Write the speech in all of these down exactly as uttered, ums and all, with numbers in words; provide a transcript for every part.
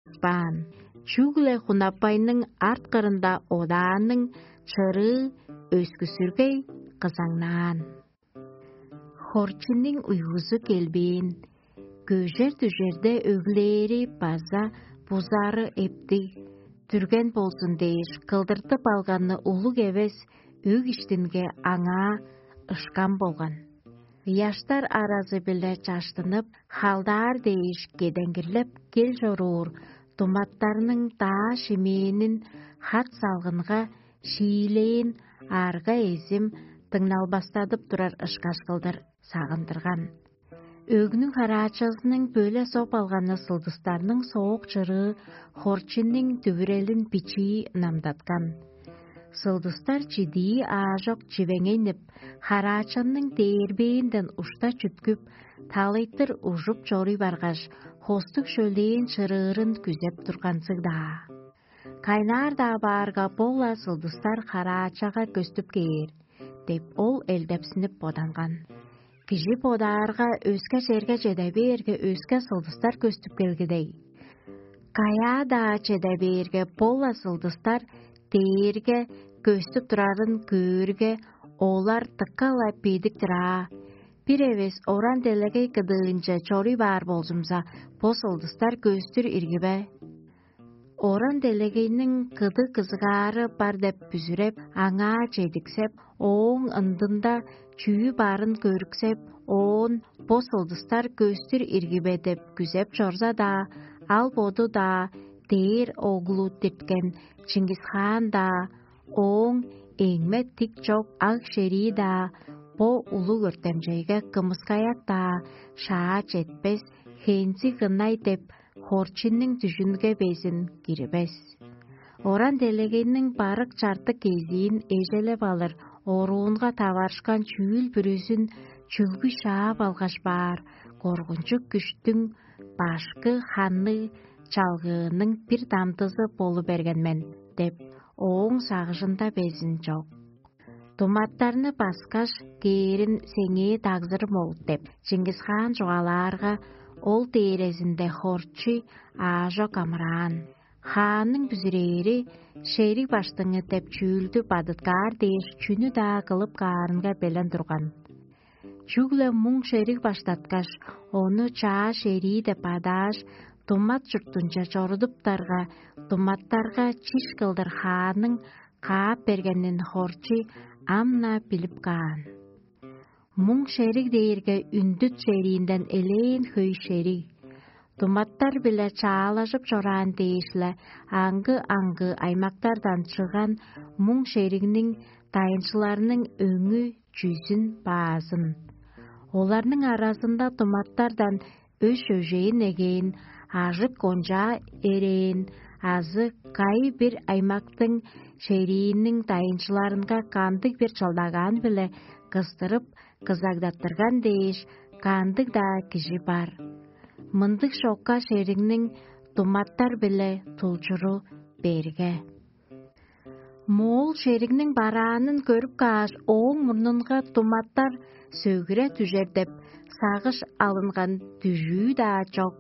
чыпшаан, чүгле Хунапайның арт кырында одаанның чырыы өскүсүргей кызаңнаан. Хорчунуң уйгузу келбээн, көжер-дүжерде өглээри база бузары эптиг, дүрген болзун дээш, кылдыртып алганы улуг эвес өг иштинге аңаа ышкам болган. Ыяштар аразы-биле чаштынып, халдаар дээш кедеңгирлеп кел чоруур думаттарның даа шимээнин хат салгынга шиилээн арга-эзим дыңналбастадып турар ышкаш кылдыр сагындырган. Өгнүң хараачазының бөле соп алганы сылдыстарның соок чырыы хорчуннуң дүвүрелин бичии ынамдаткан. Сылдыстар чидии аажок чивеңейнип, хараачанның дээрбээнден ушта чүткүп, талайтыр ужуп чоруй баргаш, хостуг шөлээн чырыырын күзеп турганзыг-даа. Кайнаар-даа баарга, бо-ла сылдыстар хараачага көстүп кээр деп, ол элдепсинип боданган. Кижи бодаарга, өске черге чеде бээрге, өске сылдыстар көстүп келгидей. Каяа-даа чеде бээрге, бо-ла сылдыстар дээрге көстүп турарын көөрге, олар дыка-ла бедик-тир аа. Бир эвес оран делегей кыдыынче чоруй баар болзумза, бо сылдыстар көстүр ирги бе? Оран делегейниң кыдыг кызыгаары бар деп бүзүреп, аңаа чедиксеп, ооң ындында чүү барын көрүксеп, оон бо сылдыстар көстүр ирги бе деп күзеп чорза-даа, ал боду-даа, дээр оглу дирткен Чингис-хаан-даа, ооң эңме тик чок аг шерии-даа бо улуг өртемчейге кымыскаяк-даа шаа четпес, хензи гынай деп, хорчуннуң дүжүнге безин кирбес. Оран делегейниң барык чартык кезиин эжелеп алыр оруунга таварышкан чүүл бүрүзүн чүлгү шаап алгаш баар коргунчуг күштүң башкы ханныг чалгыының бир дамдызы болу берген мен деп, ооң сагыжында безин чок. Думаттарны баскаш, кээрин сеңээ дагзырым ол деп, Чингис-хаан чугаалаарга, ол дээрезинде хорчуй аажок амыраан. Хаанның бүзүрээри шериг баштыңы деп чүүлдү бадыткаар дээш, чүнү-даа кылып каарынга белен турган. Чүгле муң шериг баштаткаш, ону чаа шерии деп адааш, думат чуртунче чорудуптарга, думаттарга чиш кылдыр хаанның каап бергенин хорчуй ам-на билип каан. Муң шериг дээрге үндүт шериинден элээн хөй шериг. Думаттар-биле чаалажып чораан дээш-ле, аңгы-аңгы аймактардан чыгган муң шеригниң дайынчыларының өңү чүзүн баазын. Оларның аразында думаттардан өш-өжээн эгээн, ажык кончаа эрээн азы кайы-бир аймактың шерииниң дайынчыларынга кандыг-бир чылдагаан-биле кыстырып, кызагдаттырган дээш, кандыг-даа кижи бар. Мындыг шокка шеригниң думаттар-биле тулчуру берге. Моол шеригниң бараанын көрүп кааш, ооң мурнунга думаттар сөгүре дүжер деп сагыш алынган дүжүү-даа чок.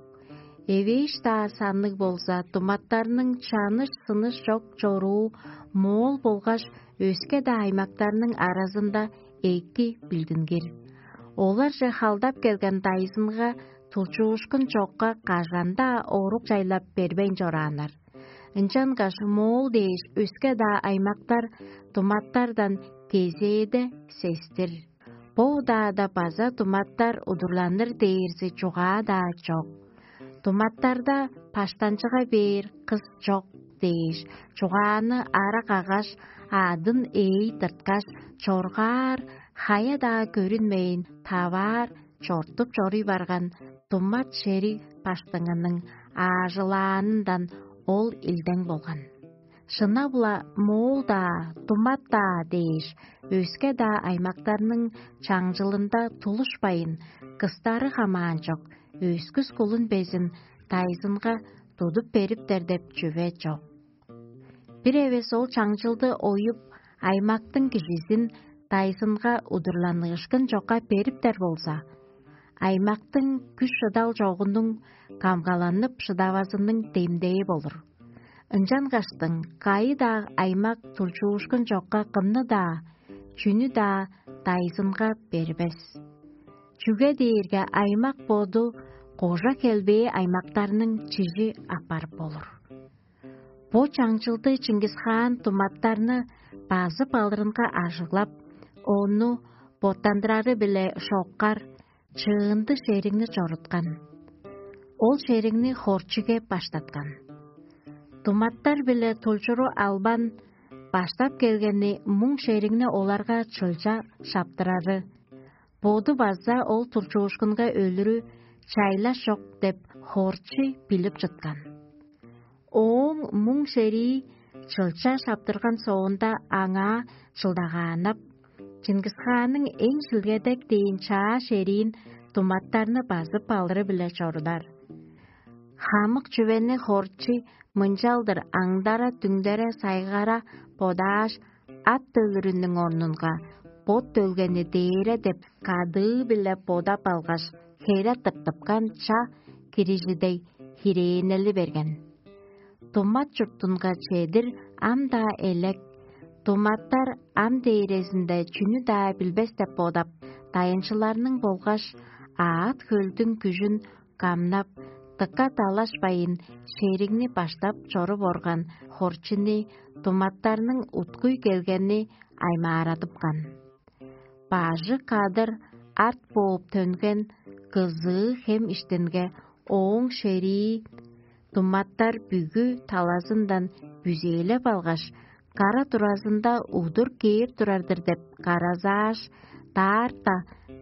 Эвээш-даа санныг болза, думаттарның чаныш-сыныш чок чоруу моол болгаш өске-даа аймактарның аразында эки билдингир. Оларже халдап келген дайзынга тулчуушкун чокка кажан-даа орук чайлап бербейн чорааннар. Ынчангаш моол дээш өске-даа аймактар думаттардан кезээде сестир. Бо удаада база думаттар удурланыр дээрзи чугаа-даа чок. Думаттарда баштанчыга бээр кыс чок дээш, чугааны ара каггаш, аъдын ээй тырткаш, чоргаар, хая-даа көрүнмейн, таваар, чортуп чоруй барган думат шериг баштыңының аажылаанындан ол илдең болган. Шынап-ла, моол-даа, думат-даа дээш, өске-даа аймактарның чаңчылында тулушпайн, кыстары хамаан чок, өскүс кулун безин дайзынга тудуп бериптер деп чүве чок. Бир эвес ол чаңчылды оюп, аймактың кижизин дайзынга удурланыышкын чокка бериптер болза, аймактың күш-шыдал чогунуң камгаланып шыдавазының демдээ болур. Ынчангаштың кайы-даа аймак тулчуушкун чокка кымны-даа, чүнү-даа дайзынга бербес. Чүге дээрге аймак боду кожа хелбээ аймактарның чижи апарып болур. Бо чаңчылды Чингис-хаан туматтарны базып алырынга ажыглап, ону боттандырары-биле шоккар чыынды шеригни чоруткан. Ол шеригни хорчиге баштаткан. Туматтар-биле тулчуру албан баштап келгени муң шеригни оларга чылча шаптырары, боду база ол тулчуушкунга өлүрү чайлаш чок деп хорчи билип чыткан. Ооң муң шерии чылча шаптырган соонда аңаа чылдагааннап, Чингис-хаанның эң шилгедек дээн чаа шериин туматтарны базып алыры-биле чорудар. Хамык чүвени хорчи мынчалдыр аңдара-түңдере сайгара бодааш, ат төлүрүнүң орнунга бот төлгени дээре деп кадыы-биле бодап алгаш, хере тыртыпкан ча кирижидей хирээнели берген. Тумат чуртунга чедир ам-даа элек, туматтар ам дээрезинде чүнү-даа билбес деп бодап, дайынчыларның болгаш аът-хөлдүң күжүн камнап, дыка далашпайн, шеригни баштап чоруп орган хорчуну туматтарның уткуй келгени аймаарадыпкан. Бажы кадыр арт бооп төнген кызыы хем иштинге ооң шерии туматтар бүгү талазындан бүзээлеп алгаш, кара туразында удур кээп турар-дыр деп каразааш, даарта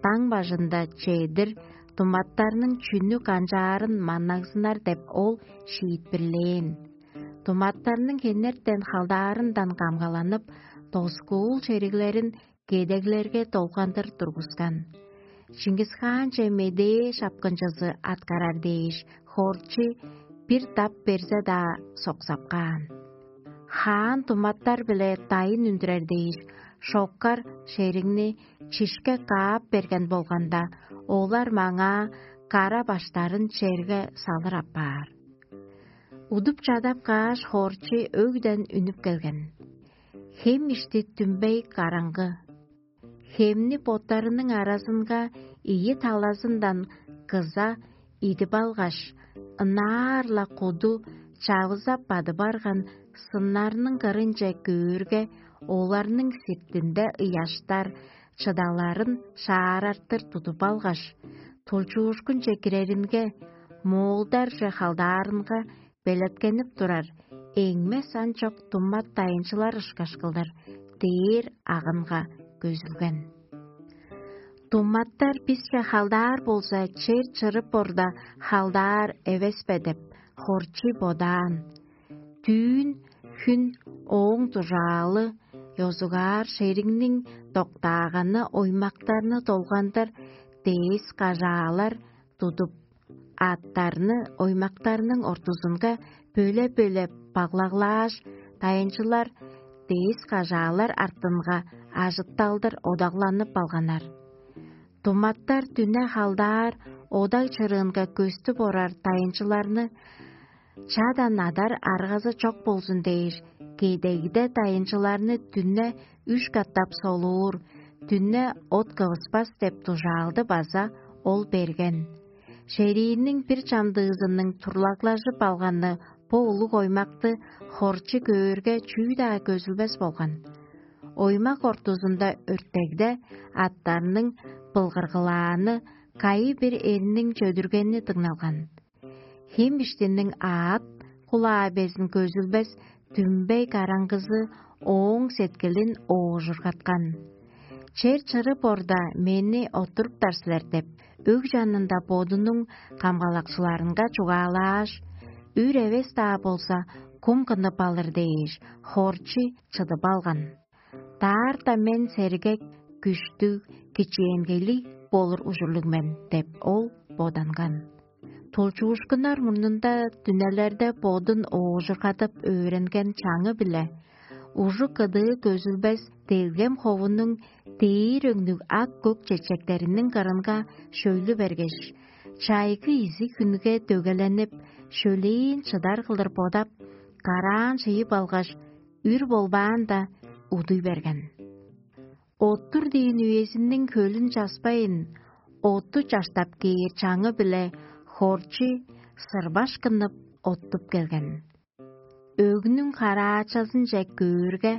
даң бажында чедир туматтарның чүнү канчаарын маннагзынар деп ол шиитпирлээн. Туматтарның хенертен халдаарындан камгаланып, доскуул шериглерин кедеглерге долгандыр тургускан. Чингис-хаанче медээ шапкынчызы аткарар дээш, хорчи бир дап берзе-даа соксап каан. Хаан туматтар-биле дайын үндүрер дээш, шоккар шеригни чишке каап берген болганда, олар маңаа кара баштарын черге салыр апаар. Удуп чадап кааш, хорчи өгден үнүп келген. Хем ишти түмбей караңгы. Хемни боттарының аразынга ийи талазындан кыза идип алгаш, ынаар-ла куду чавызап бадып арган сыннарның кырынче көөрге, оларның сиртинде ыяштар чыдаларын шаарартыр тудуп алгаш, тулчуушкунче киреринге, моолдарже халдаарынга белеткенип турар эңме сан чок туммат дайынчылар ышкаш кылдыр дээр агынга көзүлген. Тумматтар бисче халдаар болза, чер чырып орда халдаар эвес бе деп, хорчи бодаан. Түүн хүн ооң дужаалы ёзугаар шериңниң доктааганы оймактарны долгандыр дээс кажаалар тудуп, аъттарны оймактарның ортузунга бөле-бөле баглаглааш, дайынчылар дээс кажаалар артынга ажытталдыр одагланып алганнар. Туматтар дүне халдаар одаг чырыынга көстүп орар дайынчыларны чадан адар аргазы чок болзун дээш, кедегде дайынчыларны дүне үш катап солуур, дүне от кывыспас деп дужаалды база ол берген. Шериинниң бир чамдыызының турлаглажып алганы бо улуг оймакты хорчу көөрге чүү-даа көзүлбес болган. Оймак ортузунда өртегде аттарның былгыргылааны, кайы бир эрниң чөдүргени дыңналган. Хем иштинниң аът кулаа безин көзүлбес дүмбей караңгызы ооң сеткилин оожургаткан. Чер чырып орда мени оттуруптар силер деп, өг чанында бодунуң камгалакчыларынга чугаалааш, үр эвес-даа болза, кум кынып алыр дээш, хорчу чыдып алган. Даарта мен сергек, күштүг, кичээнгейлиг болур ужурлуг мен деп ол боданган. Тулчуушкуннар мурнунда дүнелерде бодун оожургадып өөренген чаңы-биле ужук кыдыы көзүлбес делгем ховунуң дээр өңнүг ак көк чечектериниң кырынга шөйлү бергеш, чайгы изиг хүнге дөгэленип, шөлээн чыдар кылдыр бодап, караан шыйып алгаш, үр болбаанда, удуй берген. Оттур дээн үезиниң хөлүн часпайн, отту чаштап кээр чаңы-биле хорчу сырбашкынып оттуп келген. Өгнүң караачазынче көөрге,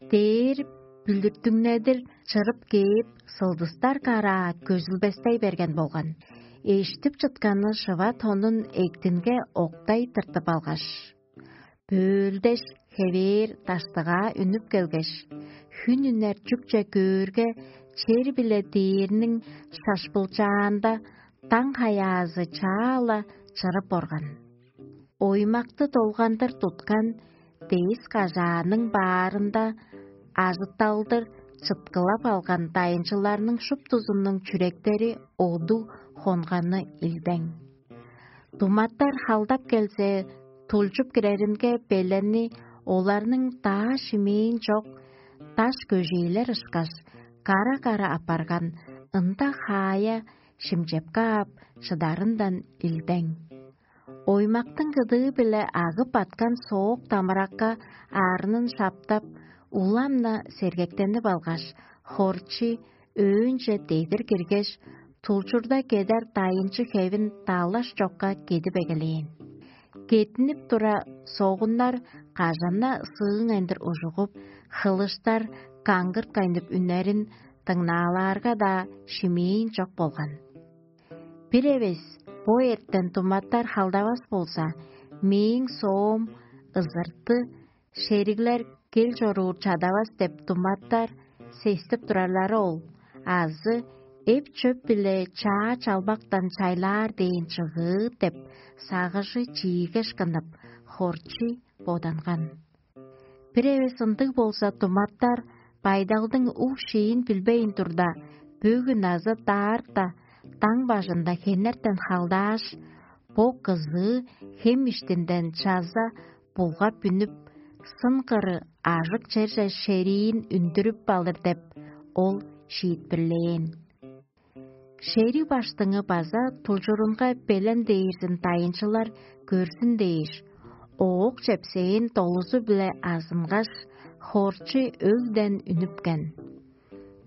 дээр бүлүртүңнедир чырып кээп, сылдыстар караа көзүлбестей берген болган. Эштип чытканы шыва тонун эктинге октай тыртып алгаш, бөөлдеш, хевээр даштыгаа үнүп келгеш, хүн үнер чүкче көөрге, чер-биле дээрниң шашпылчаанда даң хаяазы чаа-ла чырып орган. Оймакты долгандыр туткан дээс кажааның баарында ажытталдыр чыткылап алган дайынчыларның шуптузунуң чүректери оду хонганы илдең. Думаттар халдап келзе, тулчуп киреринге беленни оларның даа шимээн чок даш көжээлер ышкаш, кара-кара апарган ында хаая шимчепкаап чыдарындан илдең. Оймактың кыдыы-биле агып аткан соок дамыракка аарынын шаптап, улам-на сергектенип алгаш, хорчи өөнче дедир киргеш, тулчурда кедар дайынчы хевин далаш чокка кедип эгелээн. Кединип тура, согуннар кажана сыыңайндыр ужугуп, хылыштар каңгырткайнып үннерин дыңнаалаарга-даа шимээн чок болган. Бир эвес бо эртен думаттар халдавас болза, мээң соом ызырты, шериглер кел чоруур чадавас деп думаттар сестип турарлары ол, азы эп-чөп-биле чаа чалбактан чайлаар дээн чыгыы деп сагыжы чиигеш кынып, хорчий боданган. Бир эвес ындыг болза, думаттар байдалдың уг-шиин билбейн турда, бөгүн азы даарта даң бажында хенертен халдааш, бо кызыы хем иштинден чаза булгап үнүп, сын кыры ажык черже шериин үндүрүп алыр деп, ол шиитпирлээн. Шериг баштыңы база тулчурунга белен дээрзин дайынчылар көрзүн дээш, оок чепсээн долузу-биле азынгаш, хорчу өлден үнүпкен.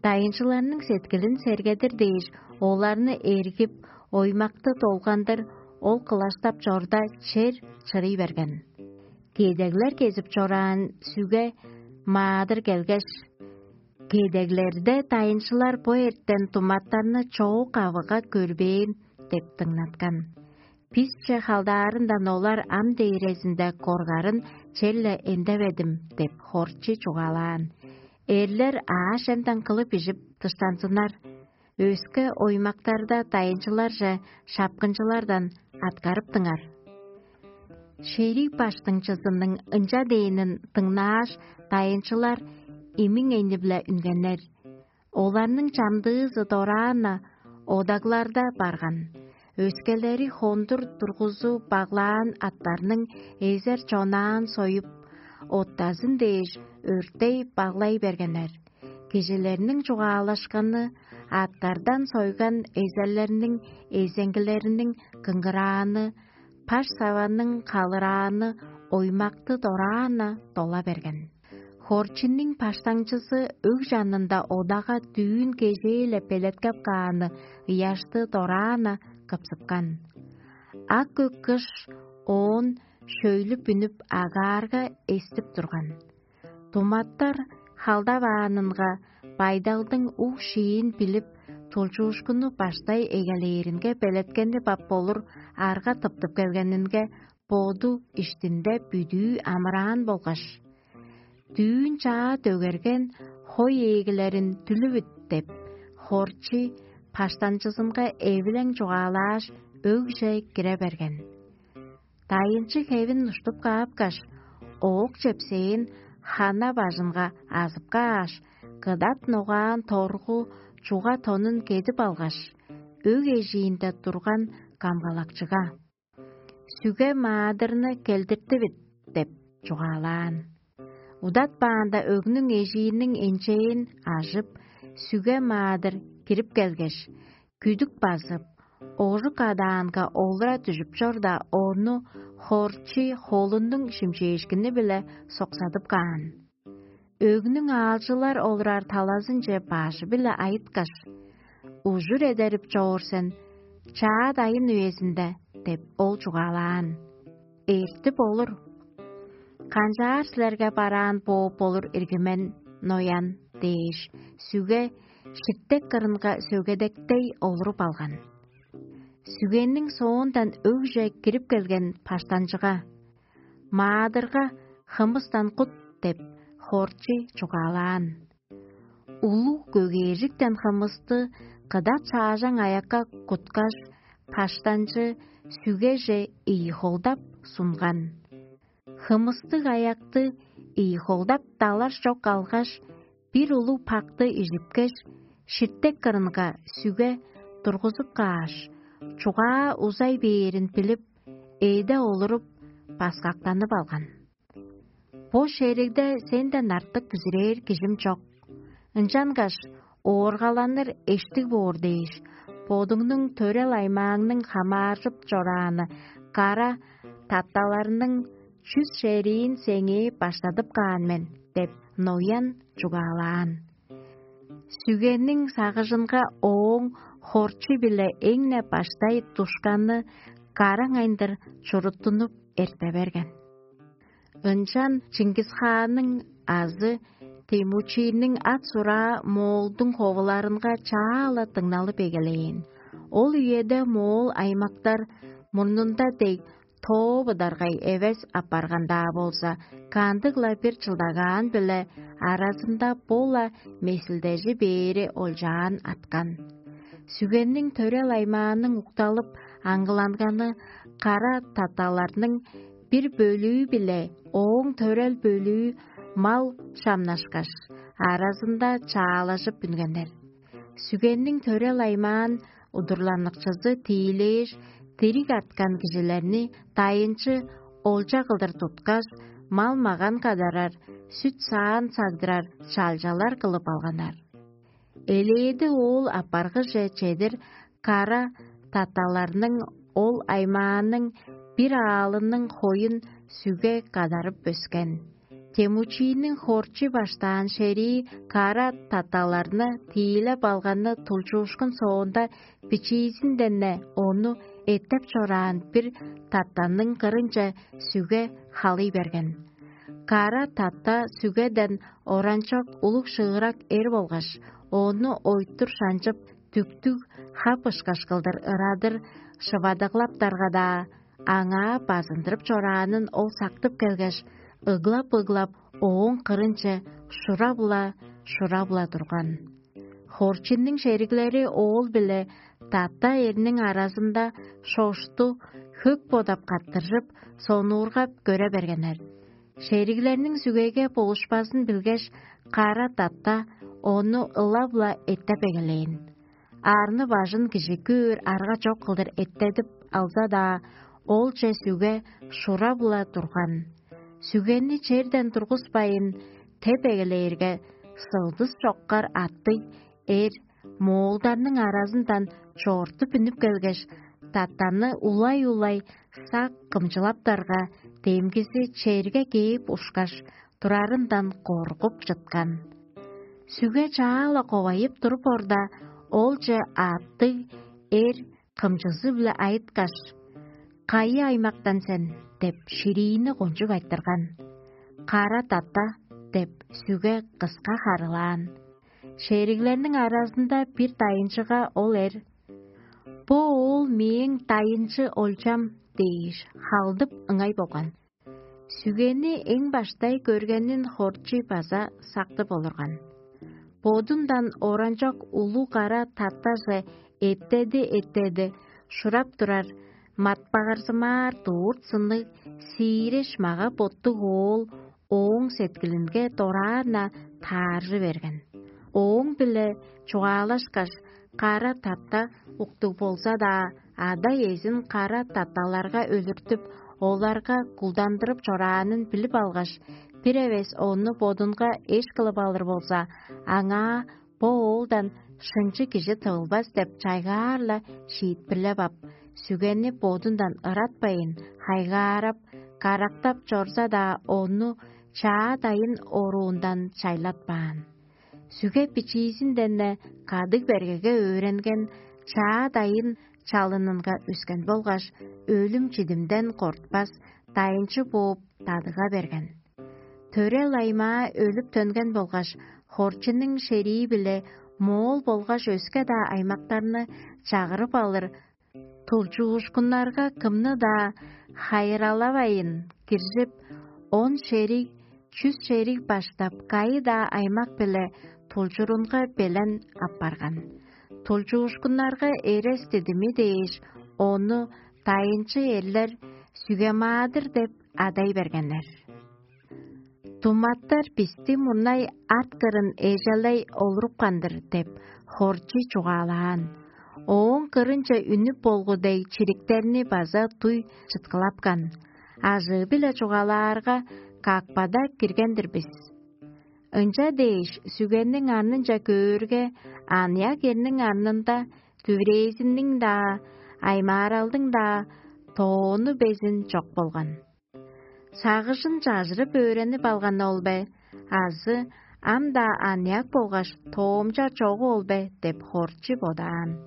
Дайынчыларның сеткилин сергедир дээш, оларны эргип, оймакты долгандыр ол кылаштап чорда, чер чырый берген. Кедеглер кезип чораан сүге маадыр келгеш: «Кедеглерде дайынчылар бо эртен думаттарны чоок авыга көрбээн» – деп дыңнаткан. «Бисче халдаарындан олар ам дээрезинде коргарын черле эндеведим» – деп хорчи чугаалаан. Эрлер аъш-чемден кылып ижип дыштанзыннар, өске оймактарда дайынчыларже шапкынчылардан аткарыптыңар. Шериг баштыңчызының ынча дээнин дыңнааш, дайынчылар имиң эни-биле үнгеннер. Оларның чамдыызы дораан-на одагларда барган, өскелери хондур тургузу баглаан аттарның эзер чонаан союп, оттазын дээш, өртей баглай бергеннер. Кижилерниң чугаалашканы, аттардан сойган эзерлерниң эзеңгилериниң кыңгырааны, паш саваның калырааны оймакты дораан-на дола берген. Хорчинниң баштаңчызы өг чанында одага дүүн кежээ-ле белеткеп кааны ыяшты дораан-на кыпсыпкан. Ак көк кыш оон шөйлүп үнүп, агаарга эстип турган. Думаттар халдаваанынга байдалдың уг-шиин билип, тулчуушкунну баштай эгелээринге белеткенни бап болур арга тыптып келгенинге, боду иштинде бүдүү амыраан болгаш: «Дүүн чаа дөгерген хой ээлгилерин дүлүвүт» – деп, хорчи баштанчызынга эвилең чугаалааш, өгже кире берген. Дайынчы хевин уштуп каапкаш, оок чепсээн хана бажынга азып кааш, кыдат ногаан торгу чуга тонун кедип алгаш, өг эжиинде турган камгалакчыга: «Сүге маадырны келдиртивит» – деп чугаалаан. Удатпаанда өгнүң эжииниң энчээн ажып, сүге маадыр кирип келгеш, күдүк базып, ожук адаанга олура дүжүп чорда, ону хорчий холунуң шимчээшкини-биле соксадып каан. Өгнүң аалчылар олурар талазынче бажы-биле айыткаш: «Ужур эдерип чоор сен чаа дайын үезинде» – деп ол чугаалаан. «Эртип олур. Канчаар силерге бараан бооп болур ирги мен, ноян?» – дээш, сүге ширтек кырынга сөгедектей олуруп алган. Сүгениң соондан өгже кирип келген баштанчыга: «Маадырга хымыстан кут» – деп хорчий чугаалаан. Улуг көгээржиктен хымысты кыдат шаажаң аякка куткаш, баштанчы сүгеже ийи холдап сунган. Хымыстыг аякты ийи холдап далар чок алгаш, бир улуг пакты ижипкеш, ширтек кырынга сүге тургузуп кааш, чугаа узай бээрин билип, эъде олуруп, баскактанып алган. «Бо шеригде сенден артык бүзүрээр кижим чок. Ынчангаш ооргаланыр эштиг боор дээш, бодуңнуң төрел аймааңның хамааржып чорааны кара татталарның чүс шериин сеңээ баштадып каан мен» – деп ноян чугаалаан. Сүгениң сагыжынга ооң хорчу-биле эң-не баштай душканы караңайындыр чуруттунуп эрте берген. Ынчан Чингисханның азы Темучинниң ат-сураа Моолдуң ховуларынга чаа-ла дыңналып эгелээн. Ол үеде моол аймактар мурнунда дег тоо быдаргай эвес апарган-даа болза, кандыг-ла бир чылдагаан-биле аразында бо-ла месилдежи бээри олчаан аткан. Сүгенниң төрел аймааның укталып аңгыланганы кара таталарның бир бөлүү-биле ооң төрел бөлүү мал шамнашкаш, аразында чаалажып үнгеннер. Сүгенниң төрел аймаан удурланыкчызы тиилээш, дириг арткан кижилерни дайынчы олча кылдыр туткаш, мал-маган кадарар, сүт-саан сагдырар чалчалар кылып алганнар. Элээди оол апаргыже чедир кара таталарның ол аймааның бир аалының хоюн сүге кадарып өскен. Темучинниң хорчу баштаан шерии кара таталарны тиилеп алганы тулчуушкун соонда, бичиизинден-не ону эттеп чораан бир татанның кырынче сүге халый берген. Кара тата сүгеден оранчок улуг шыырак эр болгаш, ону ойтур шанчып, дүктүг хап ышкаш кылдыр ырадыр шывадыглаптарга-даа, аңаа базындырып чораанын ол сактып келгеш, ыглап-ыглап, ооң кырынче шурап-ла, шурап-ла турган. Хорчинниң шериглери оол биле тата эрниң аразында шошту хөк бодап каттыржып, сонуургап көре бергеннер. Шериглерниң сүгеге болушпазын билгеш, кара тата ону ылап-ла эттеп эгелээн. Арны-бажын кижи көөр арга чок кылдыр эттедип алза-даа, олче сүге шурап-ла турган. Сүгени черден тургуспайн, теп эгелээрге, сылдыс чоккар аттыг эр моолдарның аразындан чоортуп үнүп келгеш, татаны улай-улай сак кымчылаптарга, демгизи черге кээп ушкаш, турарындан коргуп чыткан. Сүге чаа-ла ковайып туруп орда, олче аъттыг эр кымчызы-биле айыткаш: «Кайы аймактан сен?» – деп, шириини кончуг айтырган. «Кара тата» – деп, сүге кыска харылаан. Шериглерниң аразында бир дайынчыга ол эр: «Бо оол мээң дайынчы олчам» – дээш, халдып ыңай болган. Сүгени эң баштай көргенин хорчий база сактып олурган. Бодундан оранчок улуг кара таттаже эттеди-эттеди шурап турар матпагырзымаар дурт сынныг сииреш мага-боттуг оол ооң сеткилинге дораан-на тааржы берген. Ооң-биле чугаалашкаш, кара татта уктуг болза-даа, ада-иезин кара татталарга өлүртүп, оларга кулдандырып чораанын билип алгаш, бир эвес ону бодунга эш кылып алыр болза, аңаа бо оолдан шынчы кижи тывылбас деп чайгаар-ла шиитпирлеп ап, сүгени бодундан ыратпайн, хайгаарап, карактап чорза-даа, ону чаа дайын оруундан чайлатпаан. Сүге бичиизинден-не кадыг бергеге өөренген, чаа дайын чалынынга үскен болгаш, өлүм-чидимден кортпас, дайынчы бооп, дадыга берген. Төрел аймаа өлүп төнген болгаш, Хорчунуң шерии-биле Моол болгаш өске-даа аймактарны чагырып алыр тулчуушкуннарга кымны-даа хайыралавайн киржип, он шериг, чүс шериг баштап, кайы-даа аймак-биле тулчурунга белен апарган. Тулчуушкуннарга эрес дидими дээш, ону дайынчы эрлер Сүге-Маадыр деп адай бергеннер. Туматтар бисти мурнай арт кырын эжелей олурупкан-дыр деп, Хорчи чугаалаан. Ооң кырынче үнүп болгу дег чириктерни база дуй чыткылапкан. Ажыы-биле чугаалаарга, какпада кирген-дир бис. Ынча дээш, сүгенниң арнынча көөрге, аныяк эрниң арнында дүврээзиниң-даа, аймааралдың-даа тоону безин чок болган. Сагыжын чажырып өөренип алганы ол бе, азы ам-даа аныяк болгаш тоомча чогу ол бе деп, Хорчи бодаан.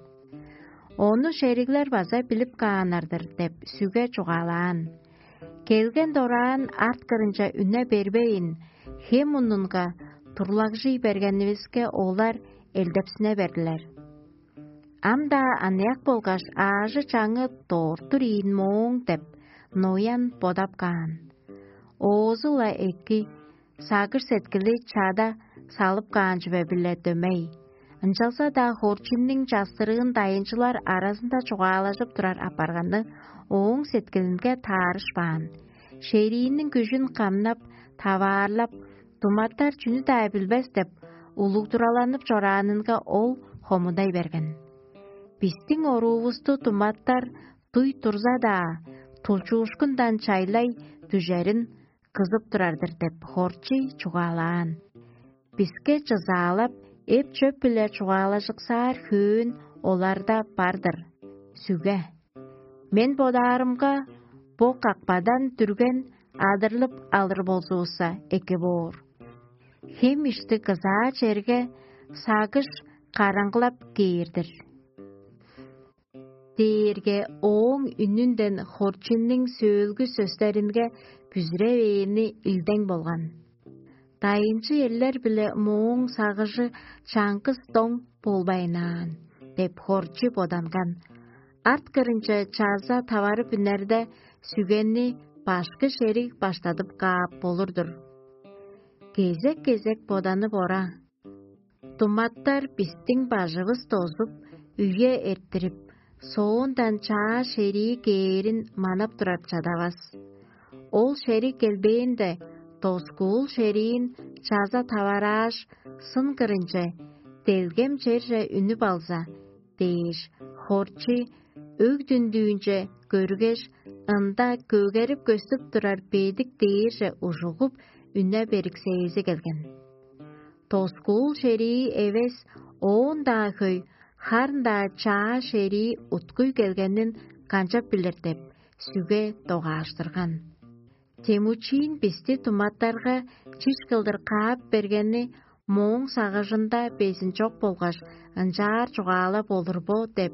Ону шериглер база билип кааннар-дыр деп, сүге чугаалаан. Келген дораан арт кырынча үне бербейн, хем мунунга турлагжый бергенивиске, олар элдепсине бердилер. Ам-даа аныяк болгаш аажы-чаңы дорттур ийин мооң деп, Ноян бодап каан. Оозу-ла эки, сагыш-сеткили чада салып каан чүве-биле дөмей. Ынчалза-даа Хорчинниң частырыын дайынчылар аразында чугаалажып турар апарганы ооң сеткилинге таарышпаан. Шерииниң күжүн камнап, таваарлап, туматтар чүнү-даа билбес деп, улуг тураланып чораанынга ол хомудай берген. Бистиң оруувусту туматтар дуй турза-даа, тулчуушкундан чайлай дүжерин кызып турар-дыр деп, Хорчий чугаалаан. Биске чызаалап, эп-чөп-биле чугаалажыксаар хөөн оларда бар-дыр. Сүге. Мен бодаарымга, бо какпадан дүрген адырлып алыр болзувусса, эки боор. Хем ишти кызаа черге сагыш караңгылап кээр-дир. Дээрге ооң үнүнден Хорчинниң сөөлгү сөстеринге бүзүревээни илдең болган. Дайынчы эрлер-биле мооң сагыжы чаңгыс доң болбайнаан, деп Хорчи боданган. Арт кырынче чаза таварып үнерде, сүгенни башкы шериг баштадып каап болур-дур. Кезек-кезек боданып ора. Думаттар бистиң бажывыс дозуп, үе эрттирип, соондан чаа шерии кээрин манап турар чадавас. Ол шериг келбээнде, доскуул шериин чаза таварааш, сын кырынче, делгем черже үнүп алза, дээш, Хорчи өг дүндүүнче көргеш, ында көгерип көстүп турар бедик дээрже ужугуп, үне бериксээзи келген. Доскуул шерии эвес, оон-даа хөй, харын-даа чаа шерии уткуй келгенин канчап билир деп, сүге догааштырган. Темучиин бисти думаттарга чиш кылдыр каап бергени мооң сагыжында безин чок болгаш, ынчаар чугаалап олур бо деп,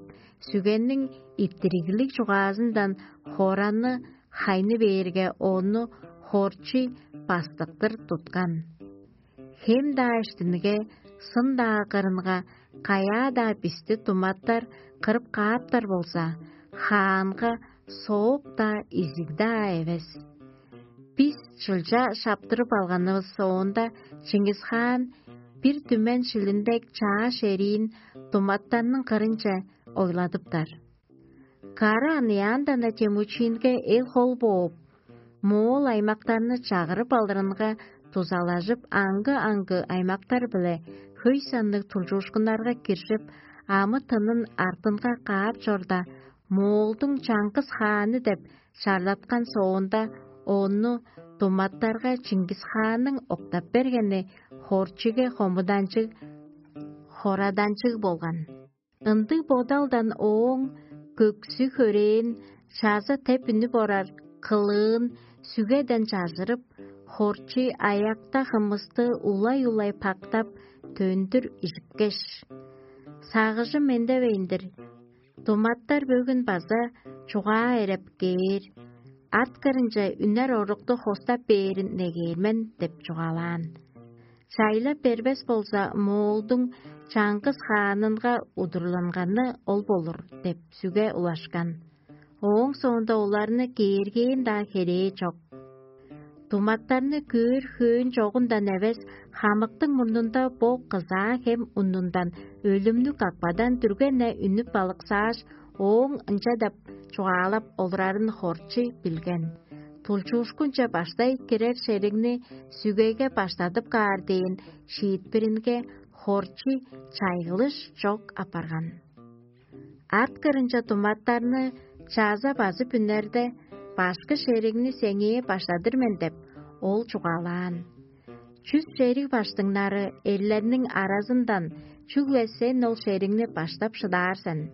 сүгенниң иттириглиг чугаазындан хоранны хайны бээрге, ону Хорчи бастыктыр туткан. Хем-даа иштинге, сын-даа кырынга, каяа-даа бисти думаттар кырып кааптар болза, хаанга сооп-даа, изиг-даа эвес. Бис чылча шаптырып алганывыс соонда, Чингис-хаан бир түмен шилиндек чаа шериин думаттарның кырынче ойладыптар. Кара аныяандан-на Темучинге эл-хол бооп, моол аймактарны чагырып алырынга дузалажып, аңгы-аңгы аймактар-биле хөй санныг тулчуушкуннарга киржип, амы-тынын артынга каап чорда, Моолдуң чаңгыс хааны деп чарлаткан соонда, ону думаттарга Чингис хаанның октап бергени хорчиге хомуданчыг, хораданчыг болган. Ындыг бодалдан ооң көксү-хөрээн, чаза теп үнүп орар кылыын сүгеден чажырып, хорчий аякта хымысты улай-улай пактап, төндүр ижипкеш: «Сагыжым мендевейн-дир. Думаттар бөгүн база чугаа эреп кээр, арткырынче үнер орукту хостап бээрин негээр мен» – деп чугаалаан. Чайлап бербес болза, моолдуң чаңгыс хаанынга удурланганы ол болур деп сүге улашкан. Ооң соонда оларны кээргээн-даа херээ чок. Думаттарны көөр хөөн чогундан эвес, хамыктың мурнунда бо кызаа хем уннундан өлүмнүг акпадан дүрген-не үнүп балыксааш, ооң ынча деп чугаалап олурарын хорчу билген. Тулчуушкунче баштай кирер шеригни сүгеге баштадып каар дээн шиитпиринге хорчу чайгылыш чок апарган. Арткырынче думаттарны чаза базып үнерде, башкы шеригни сеңээ баштадыр мен деп, ол чугаалаан. Чүс шериг баштыңнары эрлерниң аразындан чүгле сен ол шеригни баштап шыдаар сен.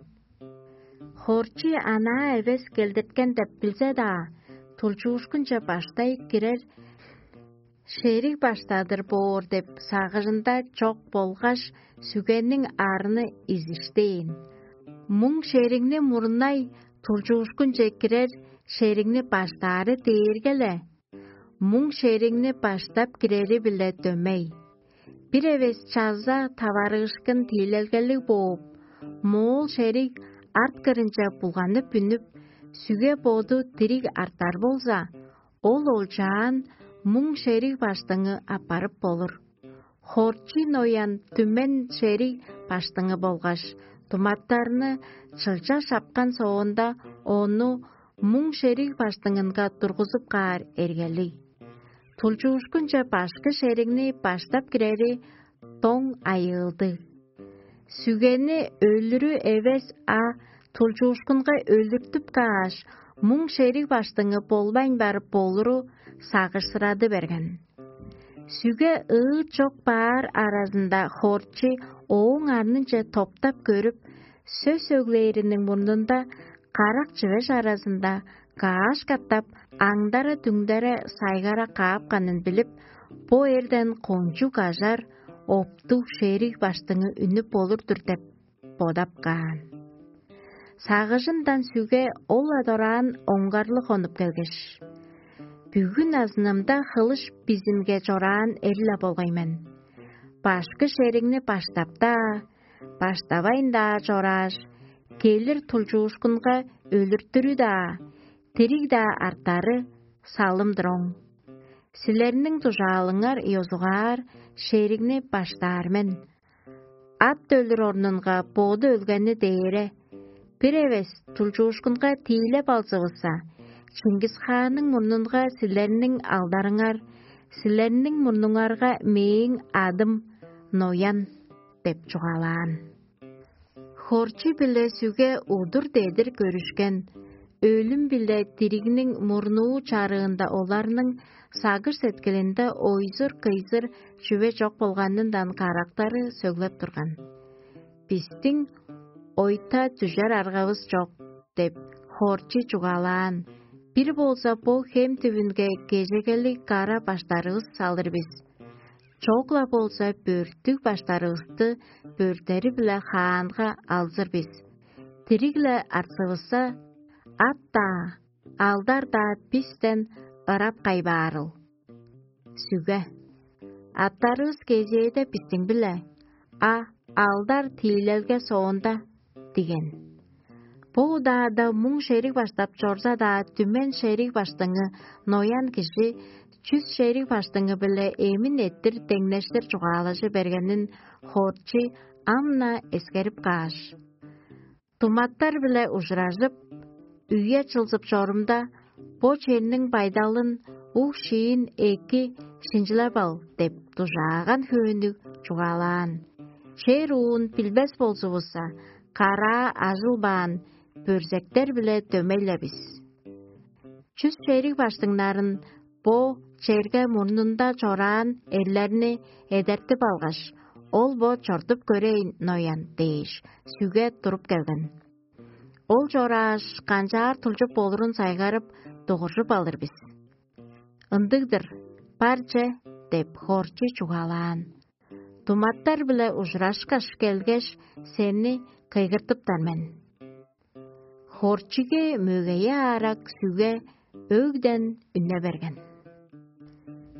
Хорчу анаа эвес келдирткен деп билзе-даа, тулчуушкунче баштай кирер шериг баштадыр боор деп сагыжында чок болгаш, сүгениң арны изиштээн. Муң шеригни мурнай, тулчуушкунче кирер шеригни баштаары дээрге-ле, муң шеригни баштап кирери-биле дөмей. Бир эвес чаза таварыышкын тиилелгелиг бооп, моол шериг арткырынче булганып үнүп, сүге боду дириг артар болза, ол олчаан муң шериг баштыңы аппарып болур. Хорчий ноян түмен шериг баштыңы болгаш, думаттарны чылча шапкан соонда, ону муң шериг баштыңынга тургузуп каар эргелиг. Тулчуушкунче башкы шеригни баштап кирери доң айыылдыг. Сүгени өлүрү эвес, а тулчуушкунга өлүртүп кааш, муң шериг баштыңы болбайн барып болуру сагышсырады берген. Сүге ыыт чок баар аразында хорчу ооң арнынче топтап көрүп, сөс өглээриниң мурнунда карак чүвеш аразында кааш катап, аңдара-дүңдере сайгара каапканын билип, бо эрден кончуг ажар, оптуг шериг баштыңы үнүп болур-дур деп бодап каан. Сагыжындан сүге ол-ла дораан оңгарлыг хонуп келгеш: «Бүгүн азынымда хылыш бизимге чораан эр-ла болгай мен. Башкы шеригни баштап-даа, баштавайн-даа чорааш, келир тулчуушкунга өлүртүрү-даа, дириг-даа артары салым-дыр оң. Силерниң дужаалыңар ёзугаар шеригни баштаар мен. Ат өлүр орнунга боду өлгени дээре, бир эвес тулчуушкунга тиилеп алзывысса, Чингис хаанның мурнунга силерниң алдарыңар, силерниң мурнуңарга мээң адым Ноян» – деп чугаалаан. Хорчу-биле сүге удур-дедир көрүшкен, өлүм биле диригниң мурнуу чарыында оларның сагыш-сеткилинде ойзур-кыйзыр чүве чок болганындан карактары сөглеп турган. «Бистиң ойта дүжер аргавыс чок» – деп, хорчу чугаалаан. «Бир болза бо хем түвүнге кежегелиг кара баштарывыс салыр бис. Чок-ла болза бөрттүг баштарывысты бөрттери-биле хаанга алзыр бис. Дириг-ле артсывысса, ат-даа, алдар-даа бистен ырап кайбаарыл». Сүге: «Аттарывыс кезээде бистиң-биле, а алдар тиилелге соонда» – диген. Бо удаада муң шериг баштап чорза-даа, түмен шериг баштыңы Ноян кижи чүс шериг баштыңы-биле эмин эттир деңнештир чугаалажы бергенин хорчу ам-на эскерип кааш: «Думаттар-биле ужуражып, үе чылзып чорумда, бо черниң байдалын, уг-шиин эки шинчилеп ал» – деп дужааган хөөннүг чугаалаан. Чер уун билбес болзувусса, караа ажылбаан, бөрзектер-биле дөмей-ле бис. Чүс шериг баштыңнарын бо черге мурнунда чораан эрлерни эдертип алгаш, ол бо чортуп көрейн ноян дээш, сүге туруп келген. Ол чорааш, канчаар тулчуп болурун сайгарып, дугуржуп алыр бис. Ындыг-дыр, бар че деп, хорчу чугаалаан. Думаттар-биле ужурашкаш келгеш, сени кыйгыртыптар мен. Хорчуге мөгейи аарак сүге өгден үнне берген.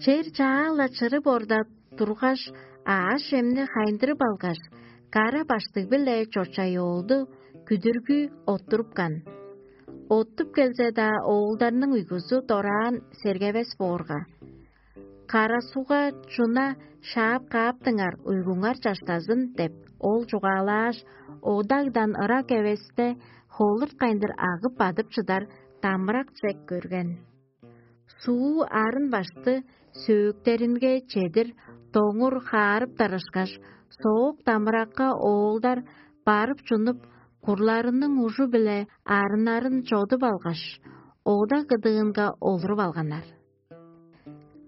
Чер чаала чырып орда тургаш, аъш-чемни хайындырып алгаш, кара баштыг-биле чочай оолду күдүргү оттурупкан. Оттуп келзе-даа, оолдарның уйгузу дораан сергевес боорга: «Кара сугга чуна шаап кааптыңар, уйгуңар чаштазын» — деп, ол чугаалааш, одагдан ырак эвесте холурткайындыр агып бадып чыдар дамырак чек көрген. Суу арын башты сөөктеринге чедир доңур хаарып тарышкаш, соок дамыракка оолдар барып чунуп, курларының ужу-биле арыннарын чодуп алгаш, ода кыдыынга олуруп алганнар.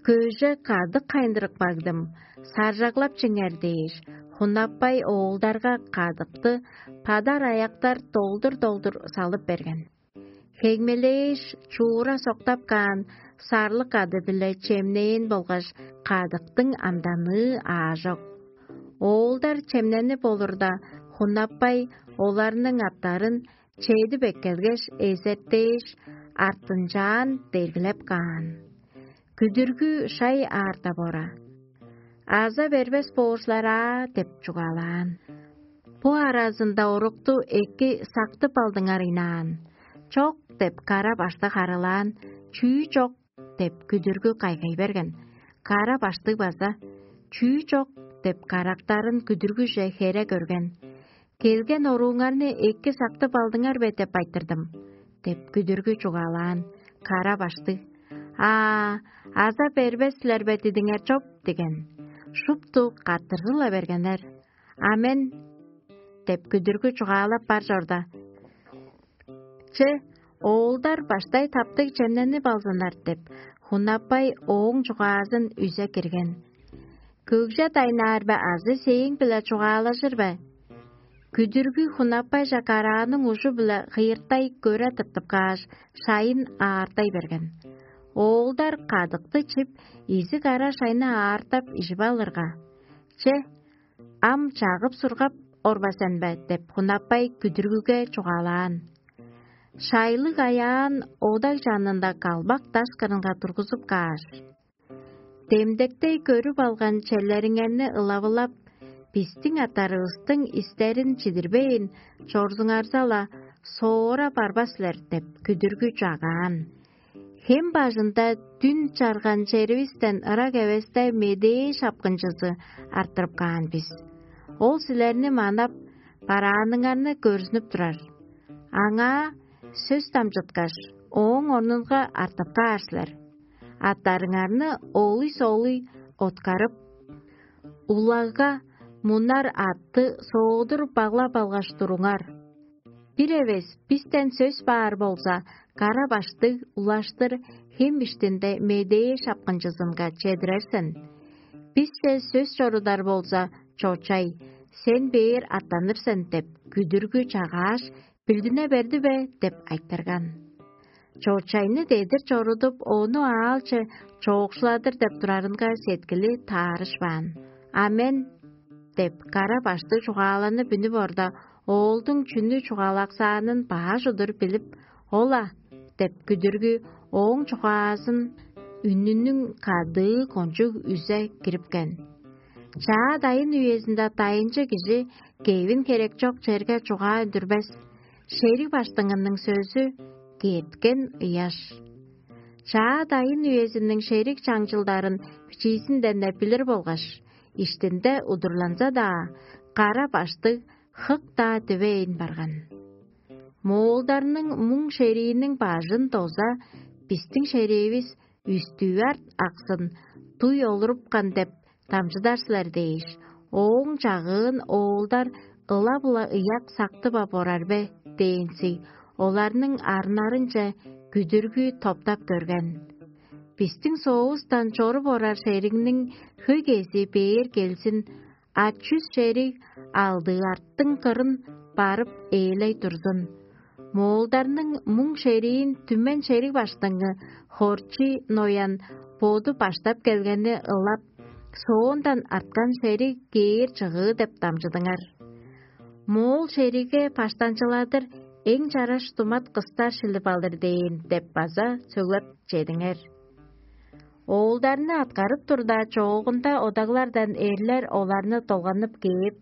«Көже кадык хайындырып кагдым, саржаглап чиңер» — дээш, хунаппай оолдарга кадыкты падар аяктар долдур-долдур салып берген. Хегмелээш, чуура соктап каан сарлык кады-биле чемнээн болгаш, кадыктың амданыы аажок. Оолдар чемненип олурда, хунаппай оларның аттарын чедип эккелгеш, эзертээш, артынчаан дергилеп каан: «Күдүргү шай аарда бора. Аза бербес боор силер аа» — деп чугаалаан. Бо аразында орукту эки сактып алдыңар ыйнаан. «Чок» — деп, кара башты харылаан. «Чүү чок?» — деп, күдүргү кайгай берген. Кара баштыг база: «Чүү чок?» — деп, карактарын күдүргүже хере көрген. «Келген орууңарны эки сактып алдыңар бе деп айтырдым» — деп, күдүргү чугаалаан. Кара баштыг: «Аа, аза бербес силер бе дидиңер чоп?» — диген. Шупту каттыржы-ла бергеннер. «Амен» — деп, күдүргү чугаалап бар чорда: «Че, оолдар баштай таптыг чемненип алзыннар» — деп, хунаппай ооң чугаазын үзе кирген. «Көгже дайнаар бе азы сээң-биле чугаалажыр бе?» Күдүргү хунаппайже карааның ужу-биле хыйырттай көре тыртып кааш, шайын аартай берген. Оолдар кадыкты чип, изиг ара шайны аартап ижип алырга: «Че, ам чагып-сургап орба сен бе?» — деп, хунаппай күдүргүге чугаалаан. Шайлыг аяан одаг чанында калбак даш кырынга тургузуп кааш: «Демдектей көрүп алган черлериңерни ылавылап, бистиң аттарывыстың истерин чидирбейн чорзуңарза-ла, соора барбас силер» — деп, күдүргү чагаан. Хем бажында дүн чарган черивистен ырак эвесте медээ шапкынчызы арттырып каан бис. Ол силерни манап, барааныңарны көрзүнүп турар. Аңаа сөс дамчыткаш, ооң орнунга артып каар силер. Аттарыңарны олуй-солуй откарып, улагга мунар атты соодур баглап алгаш туруңар. Бир эвес бистен сөс баар болза, кара баштыг улаштыр хем иштинде медээ шапкынчызынга чедирер сен. Бисче сөс чорудар болза, чочай, сен бээр аттаныр сен деп, күдүргү чагааш, билдине берди бе деп айтырган. Чочайны дедир чорудуп, ону аалче чоокшуладыр деп турарынга сеткили таарышпаан. «Амен» деп, кара башты чугааланы бүнүп орда, оолдуң чүнү чугаалаксаанын бааш удур билип: «Ол-ла» — деп, күдүргү ооң чугаазын үнүнүң кадыы кончуг үзе кирипкен. Чаа дайын үезинде дайынчы кижи кевин херек чок черге чугаа үндүрбес, шериг баштыңының сөзү керткен ыяш. Чаа дайын үезиниң шериг чаңчылдарын бичиизинден-не билир болгаш, иштинде удурланза-даа, кара баштыг хык-даа дивейн барган. Моолдарның муң шерииниң бажын доза, бистиң шериивис үстүү арт аксын дуй олурупкан деп дамчыдар силер дээш, ооң чагыын оолдар ылап-ла ыяк сактып ап орар бе дээнзиг, оларның арнарынче күдүргү топтап көрген: «Бистиң соовустан чоруп орар шеригниң хөй кезии бээр келзин, а чүс шериг алдыы арттың кырын барып ээлей турзун. Моолдарның муң шериин түмен шериг баштыңы Хорчи Ноян боду баштап келгени ылап, соондан арткан шериг кээр чыгыы деп дамчыдыңар. Моол шеригге баштанчыладыр эң чараш думат кыстар шилип алыр дээн» деп база сөглеп чедиңер. Оолдарны аткарып турда, чоогунда одаглардан эрлер оларны долганып кээп: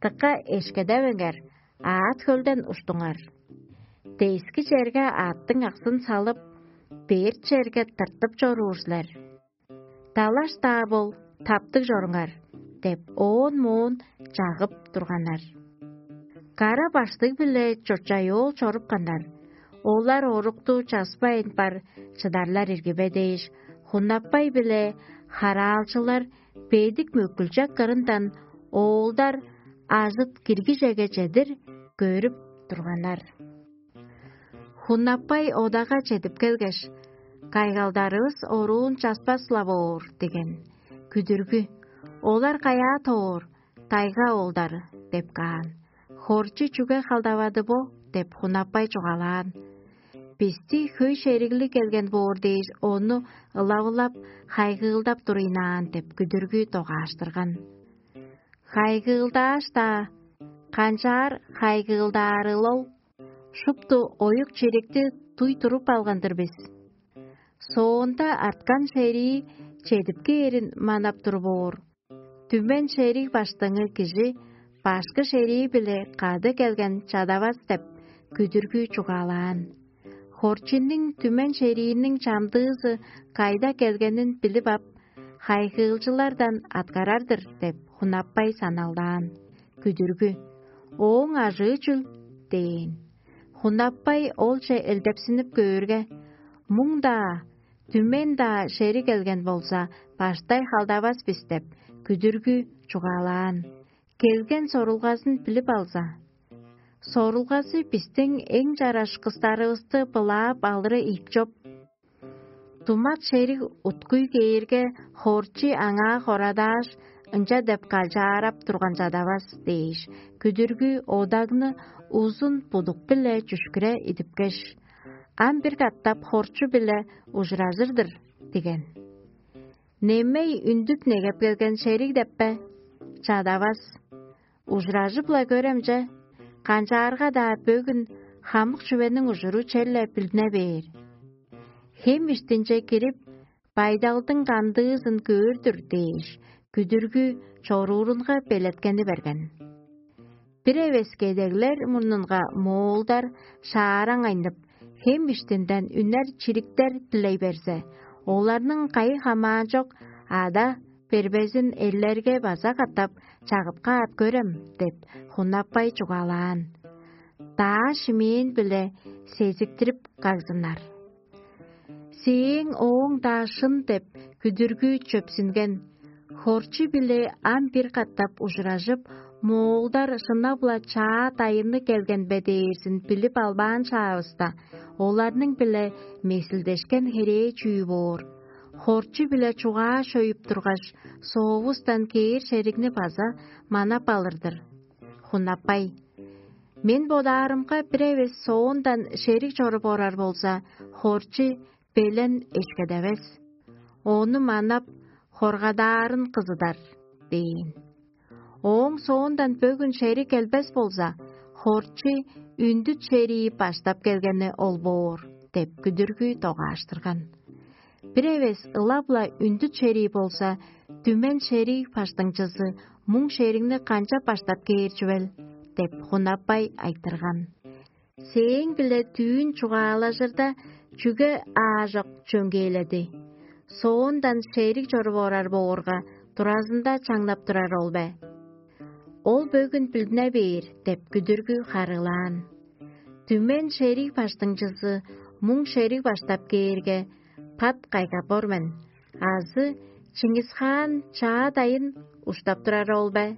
«Дыка эшкедевеңер, аът хөлден уштуңар. Дески черге аъттың аксын салып, берт черге тыртып чоруур силер. Далаш-даа бол, таптыг чоруңар» – деп, оон-моон чагып турганнар. Кара-баштыг-биле чочай-оол чорупканнар. Олар орукту часпайн бар чыдарлар ирги бе дээш, Хунаппай биле хараалчылар бедик мөккүлчек кырындан оолдар ажыт киргижеге чедир көрүп турганнар. Хунаппай одага чедип келгеш: «Кайгалдарывыс оруун часпас-ла боор» – деген. Күдүргү: «Олар каяа тоор, тайга оолдары?» – деп каан. «Хорчу чүге халдавады бо?» – деп Хунаппай чугаалаан. «Бисти хөй шериглиг келген боор дээш, ону ылавылап, хайгыылдап туруйнаан» – деп күдүргү догааштырган. «Хайгыылдааш-даа, канчаар хайгыылдаарыл ол? Шупту оюк-чирикти дуй туруп алган-дыр бис. Соонда арткан шерии чедип кээрин манап тур боор. Түмен шериг баштыңы кижи башкы шерии-биле кады келген чадавас» – деп күдүргү чугаалаан. Хорчинниң түмен шерииниң чамдыызы кайда келгенин билип ап, хайгыылчылардан аткарар-дыр деп Хунаппай саналдаан. Күдүргү: «Ооң ажыы чүл?» – дээн. Хунаппай олче элдепсинип көөрге: «Муң-даа, түмен-даа шериг келген болза, баштай халдавас бис» – деп күдүргү чугаалаан. Келген сорулгазын билип алза: «Сорулгазы бистиң эң чараш кыстарывысты былаап алыры ийик чоп. Думат шериг уткуй кээрге, хорчи аңаа хорадааш, ынча деп калчаарап турган чадавас» – дээш, күдүргү одагны узун будук-биле чүшкүре идипкеш: «Ам бир катап хорчу-биле ужуражыр-дыр» – диген. «Немей үндүп негеп келген шериг деп бе? Чадавас. Ужуражып-ла көрем че, канчаарга-даа бөгүн хамык чүвениң ужуру черле билдине бээр. Хем иштинче кирип, байдалдың кандыызын көөр-дүр» – дээш, күдүргү чоруурунга белеткени берген. Бир эвес кедеглер мурнунга моолдар шаараң айнып, хем иштинден үнер чириктер дилей берзе, оларның кайы хамаан чок ада бербезин эрлерге база катап чагып каап көрем деп, Хунаппай чугаалаан. Даа шимээн-биле сезиктирип кагзыннар. Сээң ооң-даа шын деп, күдүргү чөпсүнген. Хорчу-биле ам бир катап ужуражып, моолдар шынап-ла чаа дайынныг келген бе дээрзин билип албаан шаавыста, оларның-биле месилдешкен херээ чүү боор? Хорчу-биле чугаа шөйүп тургаш, соовустан кээр шеригни база манап алыр-дыр. Хунаппай: «Мен бодаарымга, бир эвес соондан шериг чоруп орар болза, хорчу белен эшкедевес. Ону манап, хоргадаарын кызыдар» – дээн. «Ооң соондан бөгүн шериг келбес болза, хорчу үндүт шерии баштап келгени ол боор» – деп күдүргү догааштырган. Бир эвес ылап-ла үндүт шерии болза, түмен шериг баштыңчызы муң шеригни канчап баштап кээр чүвел? – деп, Хунаппай айтырган. Сээң-биле дүүн чугаалажырда, чүге аажок чөңгээледи? Соондан шериг чоруп орар боорга, туразында чаңнап турар ол бе? Ол бөгүн билдине бээр деп, күдүргү харыылаан. Түмен шериг баштыңчызы муң шериг баштап кээрге, пат кайгап ор мен, азы Чыңгысхаан чаа дайын уштап турар ол бе?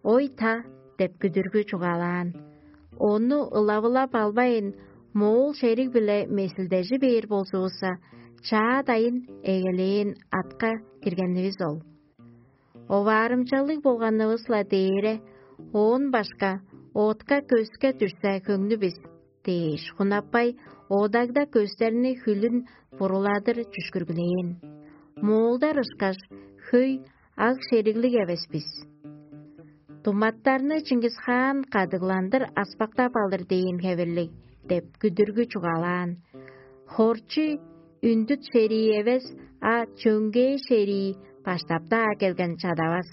Ой-та, деп күдүргү чугаалаан. Ону ылавылап албайн, моол шериг-биле месилдежи бээр болзувусса, чаа дайын эгелээн атка киргенивис ол. Оваарымчалыг болганывыс-ла дээре, оон башка отка көске дүрсе хөңнү бис дээш, хунаппай одагда көстерни хүлүн буруладыр чүшкүргүлээн. Моолдар ышкаш, хөй аг шериглиг эвес бис. Думаттарны Чыңгысхаан кадыгландыр аспактап алыр дээн хевирлиг деп күдүргү чугаалаан. Хорчу үндүт шерии эвес, а чөңгээ шерии баштапта келген чадавас.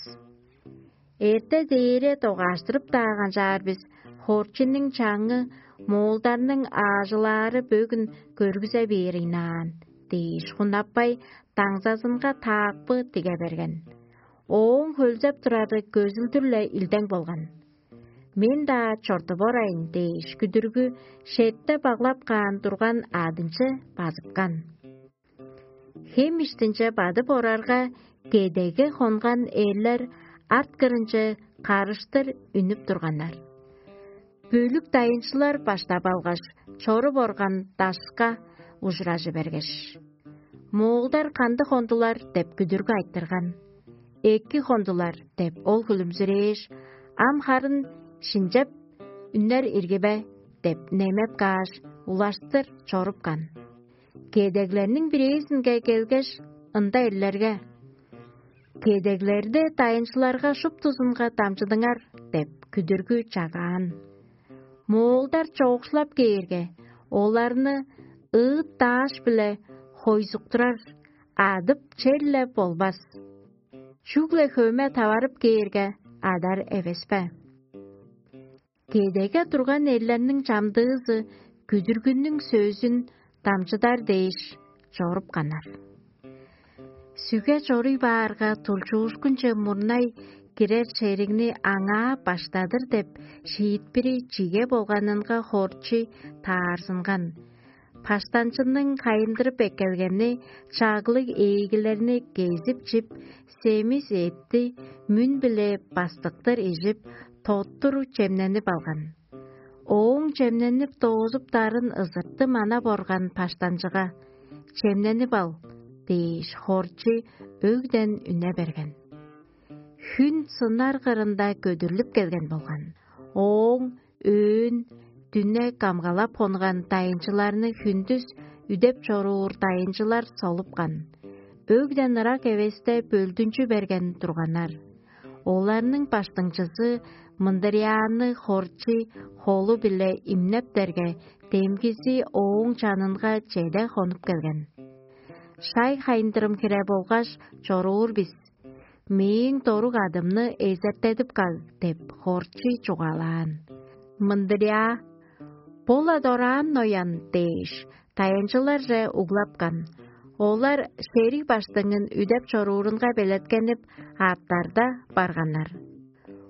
Эрте дээре догааштырып-даа канчаар бис, хорчунуң чаңы моолдарның аажылаары бөгүн көргүзе бээр ыйнаан дээш, хунаппай даңзазынга таакпы тиге берген. Ооң хөлзеп турары көзүлдүр-ле илдең болган. Мен-даа чортуп орайн дээш, күдүргү шетте баглап каан турган аадынче базыпкан. Хем иштинче бадып орарга, кедеге хонган эрлер арт кырынче карыштыр үнүп турганнар. Бөлүк дайынчылар баштап алгаш, чоруп орган дашка ужуражы бергеш: «Моолдар кандыг хондулар?» — деп күдүргү айтырган. «Эки хондулар» — деп ол хүлүмзүрээш: «Ам харын шинчеп үнер ирги бе?» — деп немеп кааш, улаштыр чорупкан. Кедеглерниң бирээзинге келгеш, ында эрлерге: «Кедеглерде дайынчыларга шуптузунга дамчыдыңар» — деп күдүргү чагаан. Моолдар чоокшулап кээрге, оларны ыыт дааш-биле хойзуктурар, адып черле болбас. Чүгле хөме таварып кээрге, адар эвес бе? Кедеге турган эрлерниң чамдыызы күдүргүнүң сөзүн дамчыдар дээш чорупканнар. Сүге чоруй баарга, тулчуушкунче мурнай кирер шеригни аңаа баштадыр деп шиитпири чиге болганынга хорчу таарзынган. Паштанчының хайындырып эккелгени чаглыг ээгилерни кезип чип, семис эътти мүн-биле бастыктыр ижип, тоттур чемненип алган. Ооң чемненип доозуптарын ызыртты манап орган паштанчыга: «Чемненип ал» — дээш, хорчу өгден үне берген. Хүн сынар кырында көдүрлүп келген болган. Ооң өөн дүне камгалап хонган дайынчыларны хүндүс үдеп чоруур дайынчылар солупкан. Өгден ырак эвесте бөлдүнчү берген турганнар. Оларның баштыңчызы мындырьяаны хорчу холу-биле имнептерге, демгизи ооң чанынга чеде хонуп келген. «Шай хайындырым хире болгаш чоруур бис. Мээң дорук адымны эзертедип каг» — деп хорчу чугаалаан. Мындырьяа: «Бо-ла дораан ноян» — дээш, дайынчыларже углапкан. Олар шериг баштыңын үдеп чоруурунга белеткенип, аъттарда барганнар.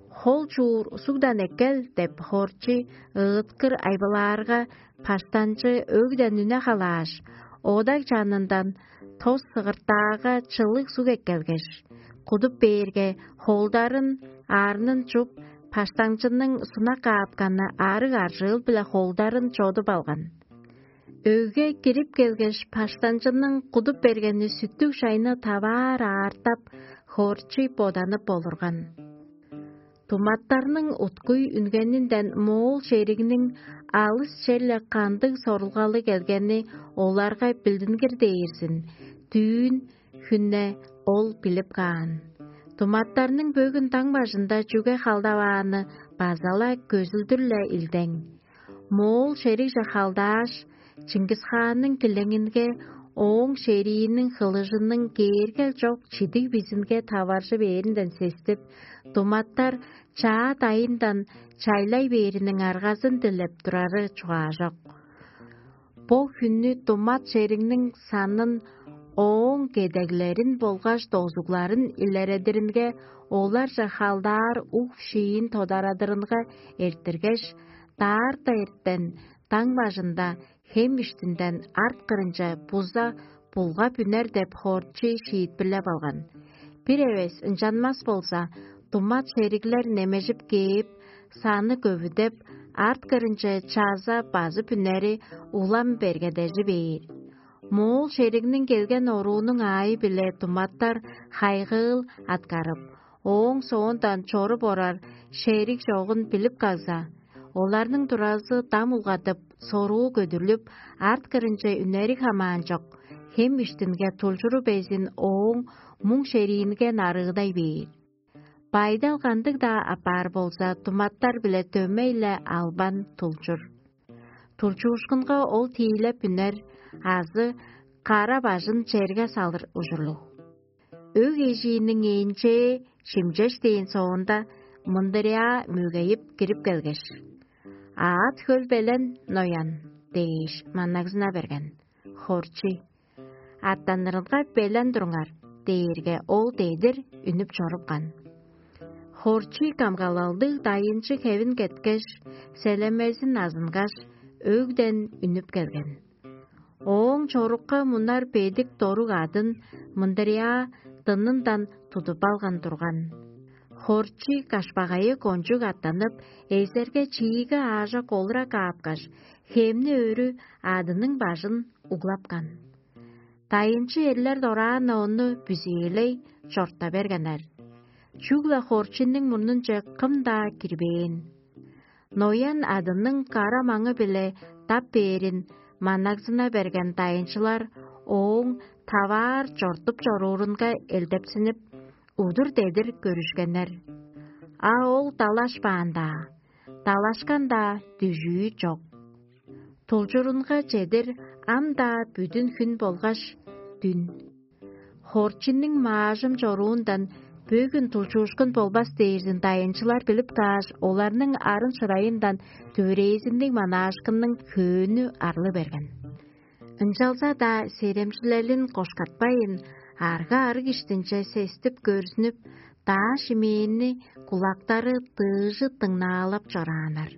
«Хол чуур сугдан эккел» — деп хорчу ыыткыр айбылаарга, паштанчы өгден үне халааш, одаг чанындан тос сыгыртаага чылыг суг эккелгеш, кудуп бээрге, холдарын, арнын чуп, паштаңчының сунак каапканы арыг аржыыл-биле холдарын чодуп алган. Өгге кирип келгеш, паштанчының кудуп бергени сүттүг шайны таваар аартап, хорчуй боданып олурган. Туматтарның уткуй үнгенинден моол шеригниң алыс черле кандыг сорулгалы келгени оларга билдингир дээрзин, дүүн хүнне ол билип каан. Туматтарның бөгүн даң бажында чүге халдавааны база-ла көзүлдүр-ле илдең. Моол шеригже халдааш, Чыңгыс-хаанның килеңинге ооң шерииниң хылыжының кээргел чок чидиг бизинге таваржы бээринден сестип, туматтар чаа дайындан чайлай бээриниң аргазын дилеп турары чугаажок. Бо хүннү тумат шеригниң санын, ооң кедеглерин болгаш дозугларын илередиринге, оларже халдаар уг-шиин тодарадырынга эрттиргеш, даарта эртен даң бажында хем иштинден арт кырынче буза булгап үнер деп хоорчу шиитпирлеп алган. Бир эвес ынчанмас болза, тумат шериглер немежип кээп, саны көвүдеп, арт кырынче чаза базып үнери улам бергедежи бээр. Моол шеригниң келген оруунуң аайы-биле думаттар хайгыыл аткарып, ооң соондан чоруп орар шериг чогун билип кагза, оларның туразы дам улгадып, соруу көдүрлүп, арт кырынче үнери хамаан чок, хем иштинге тулчуру безин ооң муң шериинге нарыыдай бээр. Байдал кандыг-даа апаар болза, думаттар-биле дөмей-ле албан тулчур. Тулчуушкунга ол тиилеп үнер азы кара бажын черге салыр ужурлуг. Өг эжииниң ээңчээ шимчеш дээн соонда, мындырыяа мөгейип кирип келгеш: «Аът хөл белен, ноян» – дээш, маннагзына берген. Хорчий: «Аттанырынга белен туруңар» – дээрге, ол дедир үнүп чорупкан. Хорчий камгалалдыг дайынчы хевин кеткеш, селемезин азынгаш, өгден үнүп келген. Ооң чорукка мунар бедик доруг адын мындырыяа дынындан тудуп алган турган. Хорчий кашпагайы кончуг аттанып, эзерге чииге аажок олура каапкаш, хемни өрү адының бажын углапкан. Дайынчы эрлер дораан ону бүзээлей чорта бергеннер. Чүгле хорчинниң мурнунче кым-даа кирбээн. Ноян адының кара маңы-биле дап бээрин маннагзына берген дайынчылар ооң таваар чортуп чоруурунга элдепсинип, удур дедир көрүшкеннер. А ол далашпаан-даа, далашкан-даа дүжүү чок. Тулчурунга чедир ам-даа бүдүн хүн болгаш дүн. Хорчинниң маажым чоруундан бөгүн тулчуушкун болбас дээрзин дайынчылар билип кааш, оларның арын-шырайындан дүвүрээзинниг манаашкынның хөөнү арлы берген. Ынчалза-даа серемчилелин кошкатпайн, арга-арыг иштинче сестип көрзүнүп, даа шимээнни кулактары дыыжы дыңнаалап чорааннар.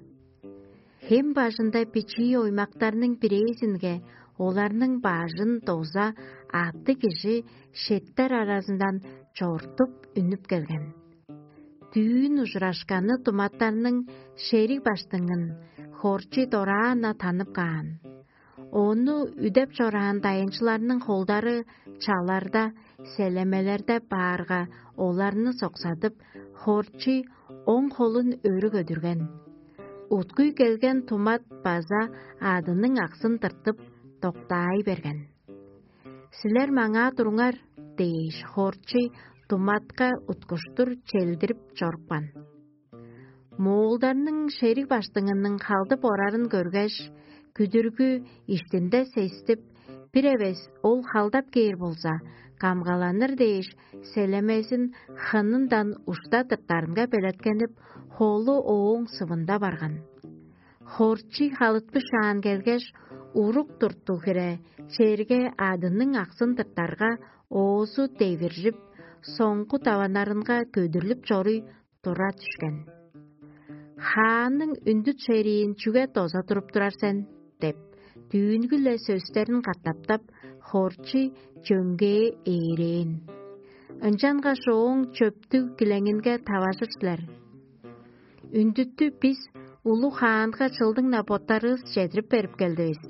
Хем бажында бичии оймактарның бирээзинге оларның бажын доза аъттыг кижи шеттер аразындан чортуп үнүп келген. Дүүн ужурашканы думаттарның шериг баштыңын Хорчий дораан-на танып каан. Ону үдеп чораан дайынчыларның холдары чаларда, селемелерде баарга, оларны соксадып, Хорчий оң холун өрү көдүрген. Уткуй келген тумат база адының аксын тыртып, доктаай берген. «Силер маңаа туруңар» – дээш, Хорчий туматка уткуштур челдирип чорупкан. Моолдарның шериг баштыңының халдып орарын көргеш, күдүргү иштинде сестип, бир эвес ол халдап кээр болза, камгаланыр дээш, селемезин хынындан ушта тыртарынга белеткенип, холу ооң сывында барган. Хорчий халытпышаан келгеш, урук турту хире черге адының аксын тыртарга, оозу девиржип, соңгу даванарынга көдүрлүп чоруй тура дүшкен. «Хаанның үндүт шериин чүге доза туруп турар сен?» – деп, дүүнгү-ле сөстерин катаптап, Хорчий чөңгээ ээрээн. Ынчангаш ооң чөптүг килеңинге таважыр силер. Үндүттү бис улуг хаанга чылдың-на боттарывыс чедирип берип келдивис.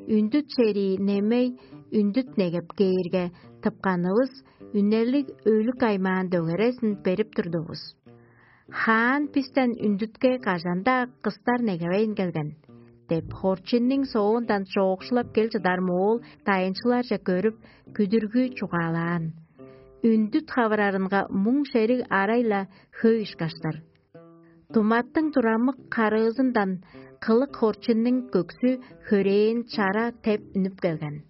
Үндүт шерии немей үндүт негеп кээрге, тыпканывыс үнелиг өлүк аймаан дөгерезин берип турдувус. Хаан бистен үндүтке кажан-даа кыстар негевейн келген, – деп, Хорчинниң соондан чоокшулап кел чыдар моол дайынчыларже көрүп, күдүргү чугаалаан. Үндүт хавырарынга муң шериг арай-ла хөй ышкаштар. Туматтың турамык харыызындан кылык Хорчинниң көксү хөрээн чара теп үнүп келген.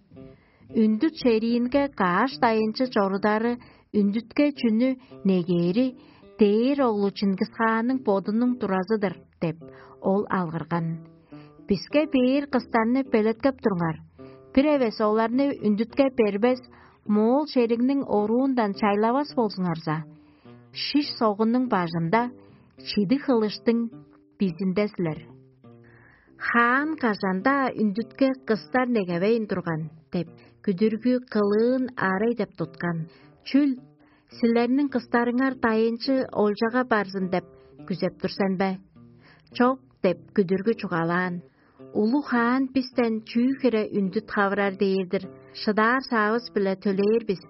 Үндүт шериинге каш дайынчы чорудары үндүтке чүнү негээри дээр оглу Чингисхаанның бодунуң туразы-дыр деп, ол алгырган. Биске бээр кыстарны белеткеп туруңар. Бир эвес оларны үндүтке бербес, моол шеригниң оруундан чайлавас болзуңарза, шиш согунуң бажында чидиг хылыштың бизинде силер. Хаан кажан-даа үндүтке кыстар негевейн турган деп, күдүргү кылыын арай деп туткан. Чүл, силерниң кыстарыңар дайынчы олчага барзын деп күзеп тур сен бе? Чок, деп күдүргү чугаалаан. Улуг хаан бистен чүү хире үндүт хавырар дээр-дир, шыдаар саавыс-биле төлээр бис.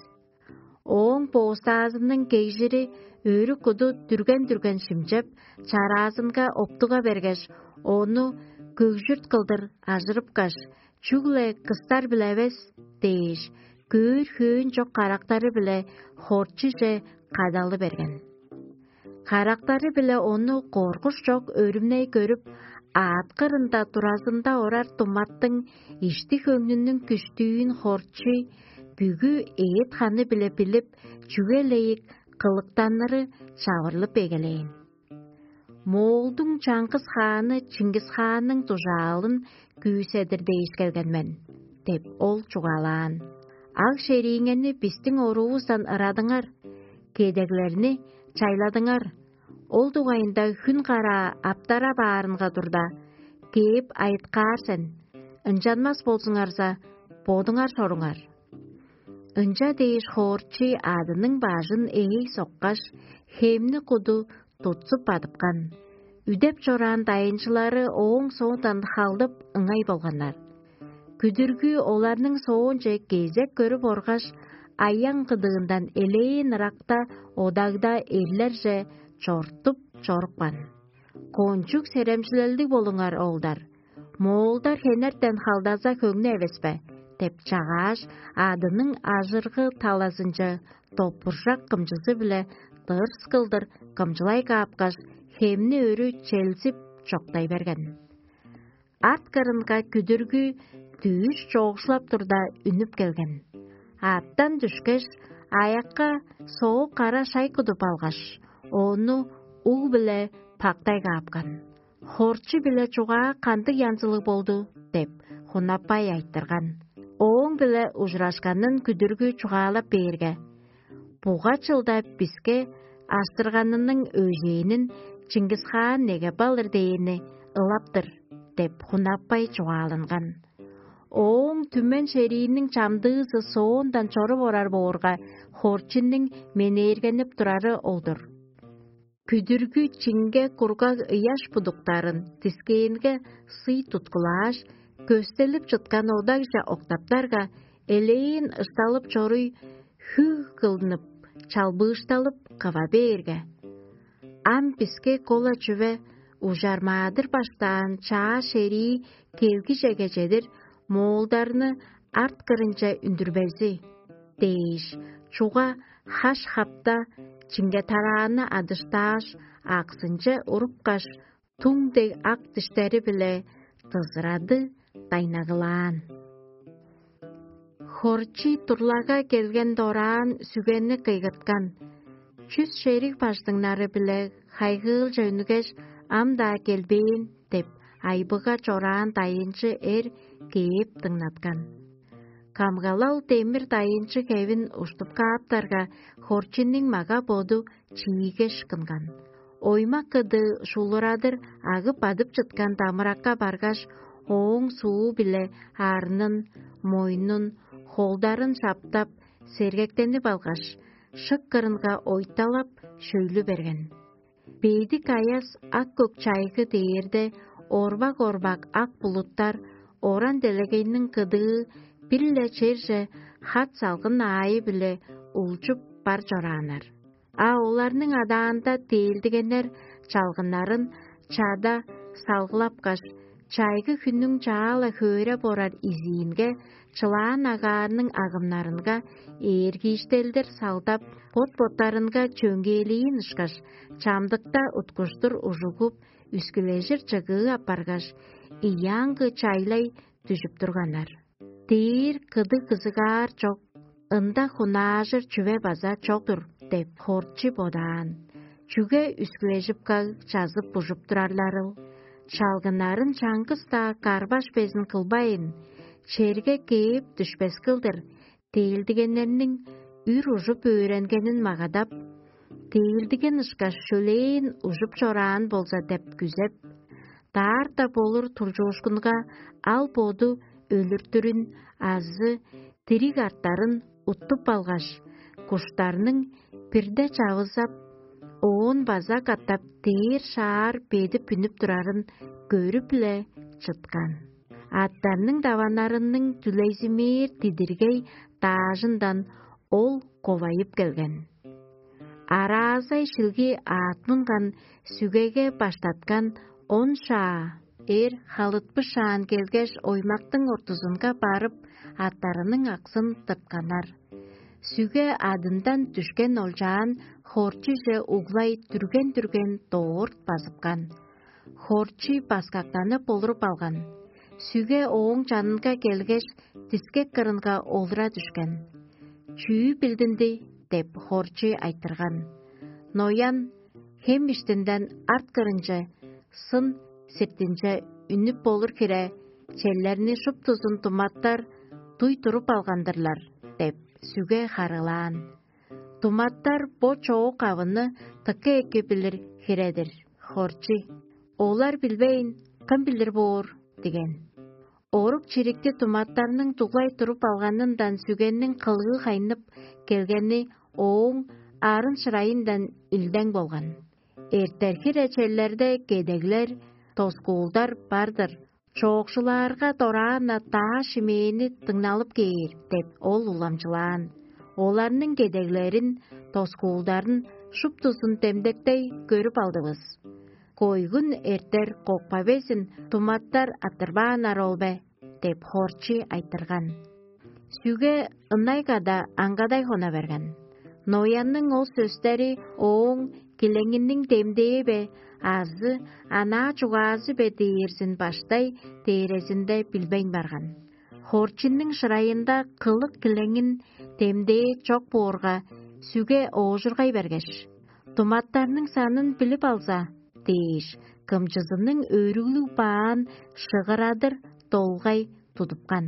Ооң боостаазының кегжири өрү куду дүрген-дүрген шимчеп, чараазынга оптуга бергеш, ону көгжүрт кылдыр ажырыпкаш, чүгле кыстар-биле эвес дээш, көөр хөөн чок карактары-биле хорчуже кадалы берген. Карактары-биле ону коргуш чок өрүмней көрүп, аът кырында туразында орар думаттың ишти-хөңнүнүң күштүүн хорчуй бүгү эът-ханы-биле билип, чүге-лейик кылыктаныры чавырлып эгелээн. Моолдуң чаңгыс хааны Чингис-хаанның дужаалын күүседир дээш келген мен, деп ол чугаалаан. Аг шерииңерни бистиң оруувустан ырадыңар, кедеглерни чайладыңар. Ол дугайында хүн караа аптара баарынга турда, кээп айыткаар сен, ынчанмас болзуңарза, бодуңар соруңар. Ынча дээш хоорчи адының бажын ээй соккаш, хемни куду тутсуп бадыпкан. Үдеп чораан дайынчылары ооң соондан халдып ыңай болганнар. Күдүргү оларның соонче кезек көрүп оргаш, аяң кыдыындан элээн ыракта одагда эрлерже чортуп чорупкан. Кончуг серемчилелдиг болуңар, оолдар. Моолдар хенертен халдаза хөңнү эвес бе? Деп чагааш, адының ажыргы талазынче допуржак кымчызы-биле дырс кылдыр кымчылай каапкаш, хемни өрү челзип чоктай берген. Арт кырынга күдүргү дүүш чоокшулап турда үнүп келген. Аъттан дүшкеш, аякка соок кара шай кудуп алгаш, ону уг-биле пактай каапкан. Хорчу-биле чугаа кандыг янзылыг болду? Деп, хунаппай айтырган. Ооң-биле ужурашканын күдүргү чугаалап бээрге: «Буга чылда биске аштырганының өжээнин Чингис-хаан негеп алыр дээни ылап-тыр» — деп, хунаппай чугааланган. Ооң түмен шерииниң чамдыызы соондан чоруп орар боорга, хорчуннуң менээргенип турары ол-дур. Күдүргү чиңге кургаг ыяш будуктарын дискээнге сый туткулааш, көстелип чыткан одагже октаптарга, элээн ысталып чоруй, хүг кылдынып, чалбыышталып кыва бээрге: «Ам биске кола чүве ужар маадыр баштаан чаа шерии келгижеге чедир моолдарны арт кырынче үндүрбези» — дээш, чуга хаш-хапта чиңге тарааны адыштааш, аксынче урупкаш, туң дег ак диштери-биле дызырады дайнагылаан. Хорчий турлага келген дораан сүгенни кыйгырткан. Чүс шериг бажыңнары-биле хайгыылче үнүгеш, ам-даа келбээн деп, айбыга чораан дайынчы эр кээп дыңнаткан. Камгалал демир дайынчы хевин уштуп кааптарга, хорчуннуң мага-боду чиигеш кынган. Оймак кыдыы шулурадыр агып бадып чыткан дамыракка баргаш, ооң суу-биле арнын, мойнун, холдарын шаптап, сергектенип алгаш, шык кырынга ойталап, шөйлү берген. Бедик аяс ак-көк чайгы дээрде, орбак-орбак ак булуттар оран делегейниң кыдыы бир-ле черже хат салгын аайы-биле улчуп бар чорааннар. А оларның адаанда дээлдигеннер чалгыннарын чада салгылапкаш, чайгы хүннүң чаала хөөреп орар изиинге, чылаан агаарның агымнарынга ээргииштелдер салдап, бот-боттарынга чөңгээлиин ышкаш, чамдыкта уткуштур ужугуп, үскүлежир чыгыы апаргаш, ыяаңгы чайлай дүжүп турганнар. Дээр кыдыг кызыгаар чок, ында хунаажыр чүве база чок-тур деп, хорчи бодаан. Чүге үскүлежип каг чазып бужуп турарларыл? Чалгыннарын чаңгыс-даа карбаш безин кылбайн, черге кээп дүшпес кылдыр, дээлдигеннерниң үр ужуп өөренгенин магадап, дээлдиген ышкаш шөлээн ужуп чораан болза деп күзеп, даарта болур тулчуушкунга ал боду өлүртүрүн азы дириг арттарын уттуп алгаш, куштарның бирде чавызап, оон база катап дээр шаар бедип үнүп турарын көрүп-ле чыткан. Аттарның даваннарының дүлейзимээр дидиргей даажындан ол ковайып келген. Араазай шилги аът мунган сүгеге баштаткан он шаа эр халытпышаан келгеш, оймактың ортузунга барып, аттарының аксын тыртканнар. Сүге адындан дүшкен олчаан хорчуже углай дүрген-дүрген доорт базыпкан. Хорчий баскактанып олуруп алган. Сүге ооң чанынга келгеш, дискек кырынга олура дүшкен. «Чүү билдинди?» — деп, хорчий айтырган. Ноян: «Хем иштинден арт кырынче, сын сиртинче үнүп болур хире, челлерни шуптузун туматтар дуй туруп алган-дырлар» — деп, сүге харыылаан. «Туматтар бо чоок авыны тыка эки билир хире-дир, хорчий. Олар билбейн, кым билир боор?» — диген. Орук-чирикти туматтарның дуглай туруп алганындан сүгенниң кылыы хайнып келгени ооң арын-шырайындан илдең болган. Эртер хире челлерде кедеглер, тоскуулдар бар-дыр. Чоокшулаарга дораан-на даа шимээни дыңналып кээр деп, ол уламчылаан. Оларның кедеглерин, тоскуулдарын шуптузун демдектей көрүп алдывыс. Койгун эртер кокпа безин туматтар аттырбааннар ол бе? — деп, хорчий айтырган. Сүге ынай када аңгадай хона берген. Ноянның ол сөстери ооң килеңиниң демдээ бе азы анаа чугаазы бе дээрзин баштай дээрезинде билбейн барган. Хорчинниң шырайында кылык килеңин демдээ чок боорга, сүге оожургай бергеш: «Туматтарның санын билип алза» — дээш, кымчызының өрүглүг баан шыгырадыр долгай тудупкан.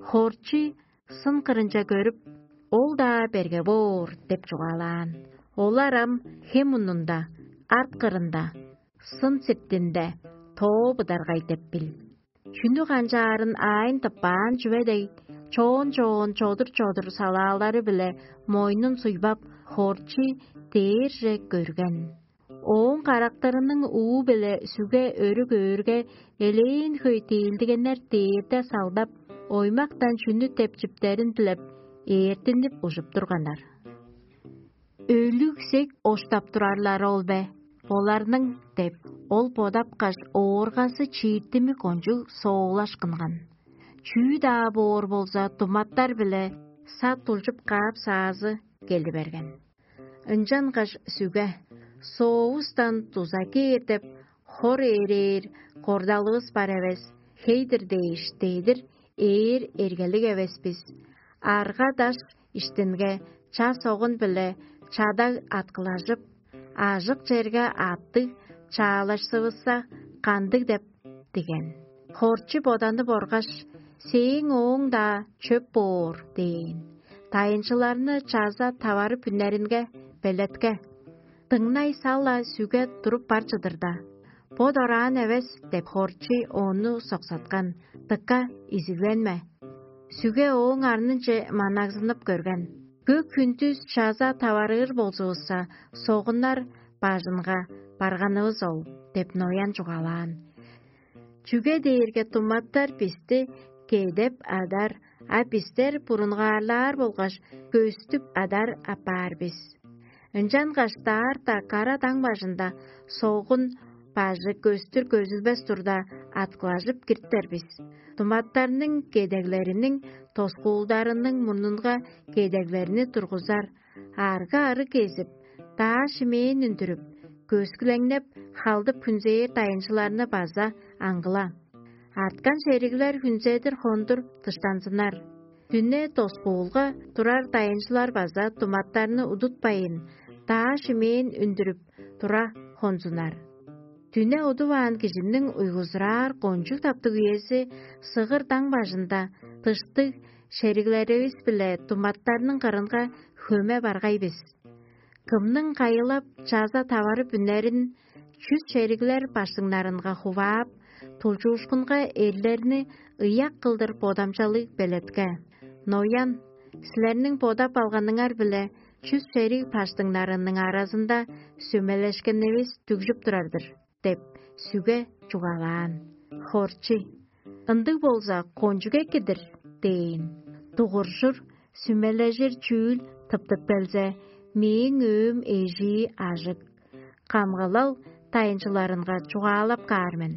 Хорчу сын кырынче көрүп: «Ол-даа берге боор» — деп чугаалаан. Олар ам хем мурнунда, арт кырында, сын сиртинде тоо быдаргай деп бил. Чүнү канчаарын аайын тыппаан чүве дег, чоон-чоон, чодур-чодур салаалары-биле мойнун суйбап, хорчу дээрже көрген. Ооң карактарының уу-биле сүге өрү көөрге, элээн хөй тиилдигеннер дээрде салдап, оймактан чүнү тепчиптерин дилеп, ээртинип ужуп турганнар. «Өлүг-сек оштап турарлар ол бе оларның?» — деп, ол бодапкаш, ооргазы чииртими кончуг соолашкынган. «Чүү-даа боор болза, туматтар-биле сат улчуп каап-саазы келди берген». Ынчангаш сүге: «Соовустан дуза кээр деп, хор ээрээр кордалывыс бар эвес, хей-дир дээш, дедир ээр эргелиг эвес бис. Арга-даш иштинге ча-согун-биле чадаг аткылажып, ажык черге аттыг чаалашсывысса, кандыг деп?» — диген. Хорчу боданып оргаш: «Сээң ооң-даа чөп боор» — дээн. Дайынчыларны чаза таварып үннеринге белетке. Дыңнай сал-ла сүге туруп бар чыдырда: «Бо дораан эвес» — деп, хорчу ону соксаткан. Дыка изигленме. Сүге ооң арнынче манагзынып көрген. «Көк хүндүс чаза таварыыр болзувусса, согуннар бажынга барганывыс ол» — деп, ноян чугаалаан. «Чүге дээрге туматтар бисти кедеп адар, а бистер бурунгаарлаар болгаш көстүп адар апаар бис. Ынчангаш даарта кара даң бажында согун бажы көстүр көзүлбес турда, аткылажып киртер бис. Туматтарның кедеглериниң, тоскуулдарының мурнунга кедеглерни тургузар, арга-ары кезип, даа шимээн үндүрүп, көскүлеңнеп, халдып хүнзээр дайынчыларны база аңгыла. Арткан шериглер хүнзедир хондур дыштанзыннар. Дүне доскуулга турар дайынчылар база туматтарны удутпайн, даа шимээн үндүрүп тура хонзуннар. Дүне удуваан кижиниң уйгузураар кончуг таптыг үези сыгыр даң бажында дыштыг шериглеривис-биле туматтарның кырынга хөме баргай бис. Кымның кайылап, чаза таварып үнерин чүс шериглер баштыңнарынга хуваап, тулчуушкунга эрлерни ыяк кылдыр бодамчалыг белетке. Ноян: «Силерниң бодап алганыңар-биле чүс шериг баштыңнарының аразында сүмелешкенивис дүгжүп турар-дыр» — деп, Сүге чугаалаан: «Хорчи, ындыг болза, кончуг эки-дир» – дээн. Дугуржур, сүмележир чүүл тыптып келзе, мээң өөм эжии ажык, камгалал дайынчыларынга чугаалап каар мен.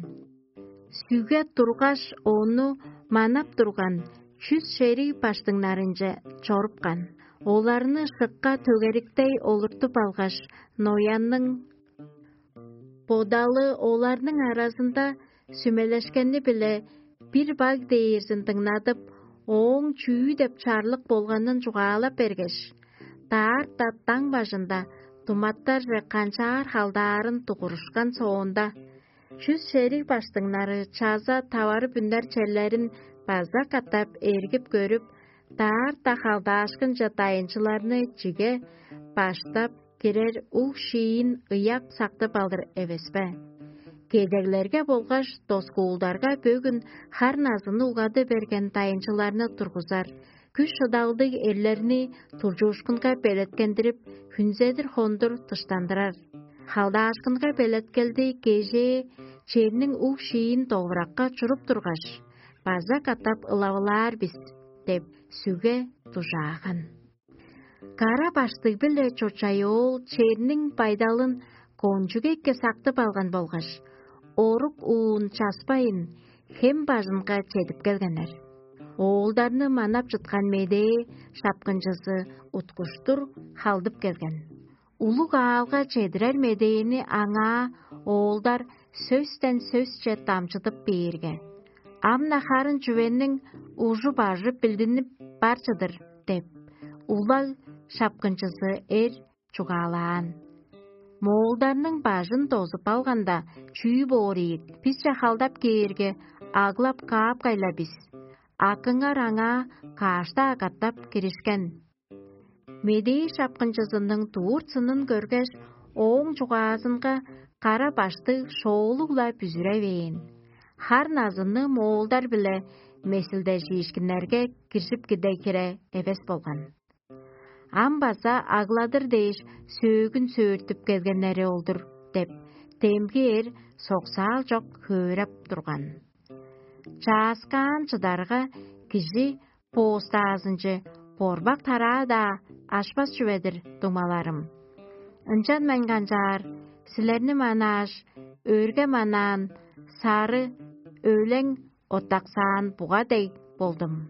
Сүге тургаш, ону манап турган чүс шериг баштыңнарынче чорупкан. Оларны шыкка төгериктей олуртуп алгаш, ноянның бодалы оларның аразында сүмелешкени-биле бир баг дээрзин дыңнадып, ооң чүү деп чарлык болганын чугаалап бергеш, даарта даң бажында думаттарже канчаар халдаарын дугурушкан соонда, чүс шериг баштыңнары чаза таварып үнер черлерин база катап эргип көрүп, даарта халдаашкынче дайынчыларны чиге баштап кирер уг-шиин ыяк сактып алыр эвес бе? Кедеглерге болгаш доскуулдарга бөгүн хар назыны угады берген дайынчыларны тургузар, күш-шыдалдыг эрлерни туржуушкунга белеткендирип, хүнзедир хондур дыштандырар. Халдаашкынга белеткелди кежээ черниң уг-шиин довуракка чуруп тургаш, база катап ылавылаар бис деп, сүге дужааган. Кара баштыг-биле чочай оол черниң байдалын кончуг эки сактып алган болгаш, орук уун часпайн, хем бажынга чедип келгеннер. Оолдарны манап чыткан медээ шапкынчызы уткуштур халдып келген. Улуг аалга чедирер медээни аңаа оолдар сөстен сөсче дамчыдып бээрге: «Ам-на харын чүвениң ужу-бажы билдинип бар чыдыр» – деп, улаг шапкынчызы эр чугаалаан. Моолдарның бажын дозуп алганда, чүү боор ийик, бисче халдап кээрге, аглап каапкай-ла бис. Акыңар аңаа каашта агартап киришкен. Медээ шапкынчызының дуур сынын көргеш, ооң чугаазынга кара баштыг шоолуг-ла бүзүревээн. Хар назынны моолдар-биле месилдежиишкиннерге киржип киде хире эвес болган. Ам база агладыр дээш сөөгүн сөөртүп келгеннери ол-дур деп, демги эр соксаал чок хөөреп турган. Чааскаан чыдарга, кижи боостаазынче борбак тараа-даа ашпас чүве-дир дуңмаларым. Ынчан мен канчаар, силерни манааш, өрге манаан, сары, өлең оттаксаан буга дег болдум.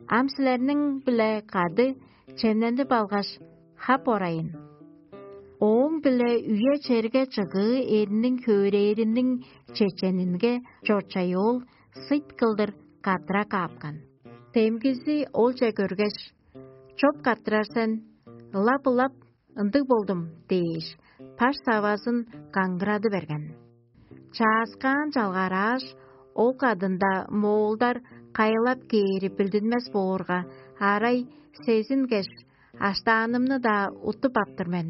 Ам силерниң-биле кады чемненип алгаш, хап орайын. Ооң-биле үе-черге чыгыы эриниң хөөрээриниң чеченинге чочай ол сыйт кылдыр каттыра каапкан. Демгизи олче көргеш: «Чоп каттырар сен, ылап-ылап ындыг болдум» – дээш, баш савазын каңгырады берген. Чааскаан чалгарааш, ол кадында моолдар кайылап кээри билдинмес боорга, арай сезингеш, аштаанымны-даа уттуп аптыр мен.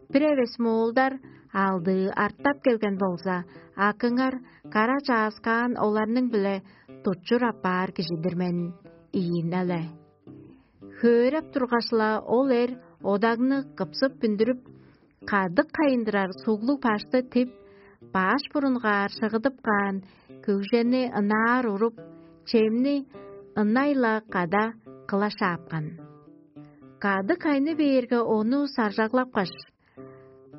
Бир эвес моолдар алдыы арттап келген болза, акыңар кара чааскаан оларның-биле тутчур аппаар кижи-дир мен ийин але. Хөөреп тургаш-ла, ол эр одагны кыпсып бүндүрүп, кадык хайындырар суглуг башты тип, баш бурунгаар шыгыдып каан көгжени ынаар уруп, чемни ынай-ла када кылаш аапкан. Кадык хайны бээрге, ону саржаглапкаш: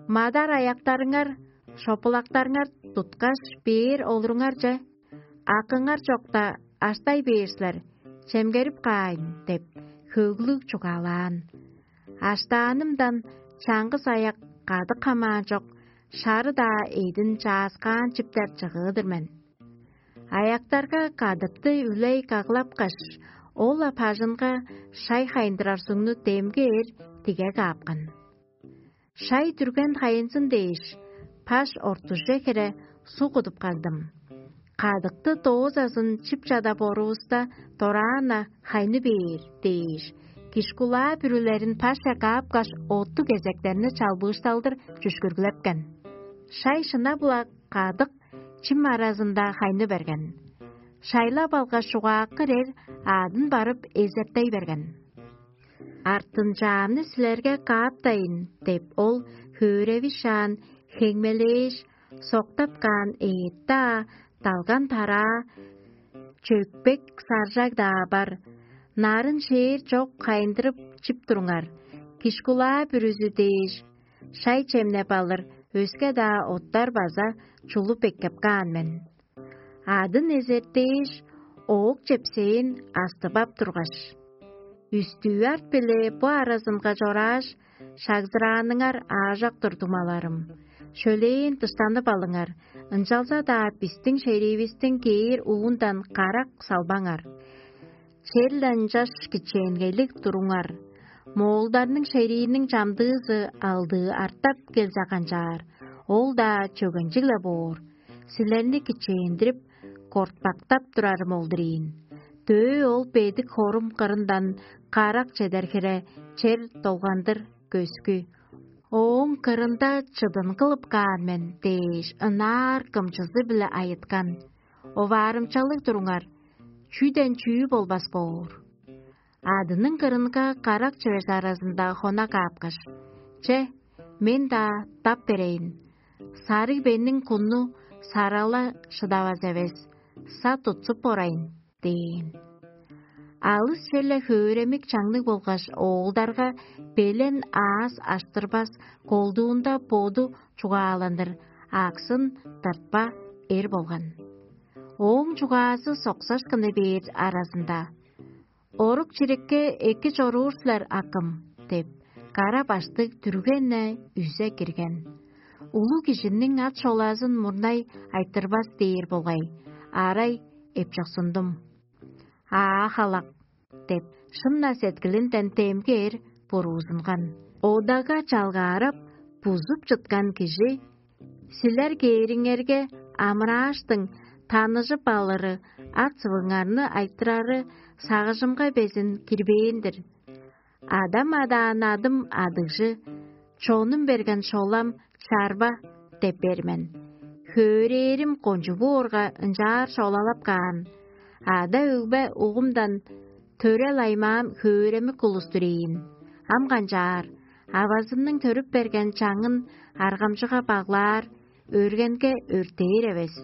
«Мадар аяктарыңар, шопулактарыңар туткаш, бээр олуруңарже, акыңар чокта аштай бээр силер, чемгерип каайн» – деп, хөглүг чугаалаан. Аштаанымдан чаңгыс аяк кадык хамаан чок, шары-даа эъдин чааскаан чиптер чыгыы-дыр мен. Аяктарга кадыкты үлей каглапкаш, ол-ла бажынга шай хайындырар сугну демги эр тиге каапкан. Шай дүрген хайынзын дээш, баш ортуже хире суг кудуп кагдым. Кадыкты доозазын чип чадап орувуста, дораан-на хайны бээр дээш, кишкулаа бүрүлерин пашче каапкаш, оттуг кезектерни чалбыышталдыр чүшкүргүлепкен. Шай шынап-ла кадык чим аразында хайны берген. Шайлап алгаш, чугааккыр эр аадын барып эзертей берген. «Артынчаамны силерге кааптайн» – деп, ол хөөревишаан, хеңмелээш, Соктап каан эът-даа, далган тараа, чөкпек саржаг-даа бар. Нарын шээр чок хайындырып чип туруңар. Кишкулаа бүрүзү дээш, шай чемнеп алыр өске-даа оттар база чулуп эккеп каан мен. Адын эзертээш, оок чепсээн астып ап тургаш: «Үстүү арт-биле бо аразынга чорааш, шагзырааныңар аажок-тур, дуңмаларым. Шөлээн дыштанып алыңар, ынчалза-даа бистиң шериивистиң кээр уундан карак салбаңар. Черле ынчаш кичээнгейлиг туруңар. Моолдарның шерииниң чамдыызы алдыы артап келзе канчаар, ол-даа чөгенчиг-ле боор. Силерни кичээндирип, кортпактап турарым ол-дур ийин. Дөө ол бедик хорум кырындан карак чедер хире чер долгандыр көскү. Ооң кырында чыдын кылып каан мен» дээш, ынаар кымчызы-биле айыткан. Оваарымчалыг туруңар, чүден чүү болбас боор. Адының кырынга карак чүвези аразында хона каапкаш: «Че, мен-даа тап берейн. Сарыг бенниң кунну сарала шыдавас эвес, са тутсуп орайн» – дээн. Алыс черле хөөремик чаңныг болгаш оолдарга белен аас аштырбас, колдуунда боду чугааландыр аксын тыртпа эр болган. Ооң чугаазы соксашкыны бээр аразында: «Орук-чирикке эки чоруур силер, акым» – деп, кара баштыг дүрген-не үзе кирген. Улуг кижиниң ат-шолазын мурнай айтырбас дээр болгай, арай эпчоксундум. «Аа, халак» – деп, шын-на сеткилинден демги эр буруузунган. Одага чалгаарап, бузуп чыткан кижи: «Силер кээриңерге амырааштың таныжып алыры, ат-сывыңарны айтырары сагыжымга безин кирбээн-дир. Адам адаан адым Адыгжы, чонум берген шолам Чарба деп бээр мен. Хөөрээрим кончуг боорга, ынчаар шолалап каан. Ада-өгбе угумдан төрел аймаам хөөремик улус-тур ийин. Ам канчаар, авазымның төрүп берген чаңын аргамчыга баглаар, өргенге өртээр эвес.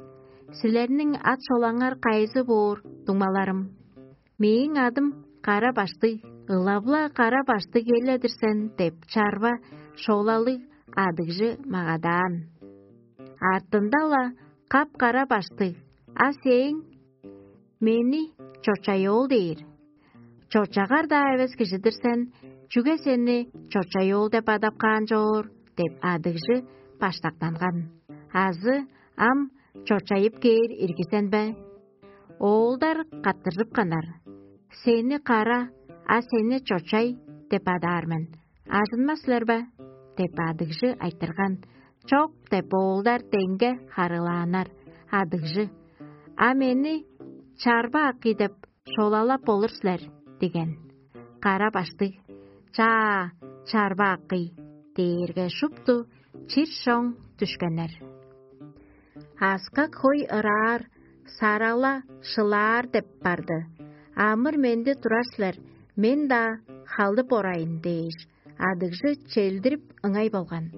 Силерниң ат-шолаңар кайызы боор, дуңмаларым?» «Мээң адым Кара-Баштыг, ылап-ла Кара-Баштыг эл-дир сен» – деп, чарба шолалыг Адыгжы магадаан. Артында-ла: «Кап-кара баштыг, а сээң?» «Мени Чочай-оол дээр». «Чочагар-даа эвес кижи-дир сен, чүге сени Чочай-оол деп адап каан чоор?» – деп, Адыгжы баштактанган. Азы: «Ам чочайып кээр ирги сен бе?» Оолдар каттыржыпканнар: «Сени Кара, а сени Чочай деп адаар мен. Ажынмас силер бе?» – деп, Адыгжы айтырган. «Чок» – деп, оолдар деңге харыылааннар. Адыгжы: «А мени Чарба акый деп шолалап болур силер» – диген. Кара-Баштыг: «Чаа, Чарба акый» – дээрге, шупту чир-шоң дүшкеннер. «Аскак хой ыраар, сарала шылаар деп барды. Амыр-менди турар силер, мен-даа халдып орайын» – дээш, Адыгжы челдирип ыңай болган.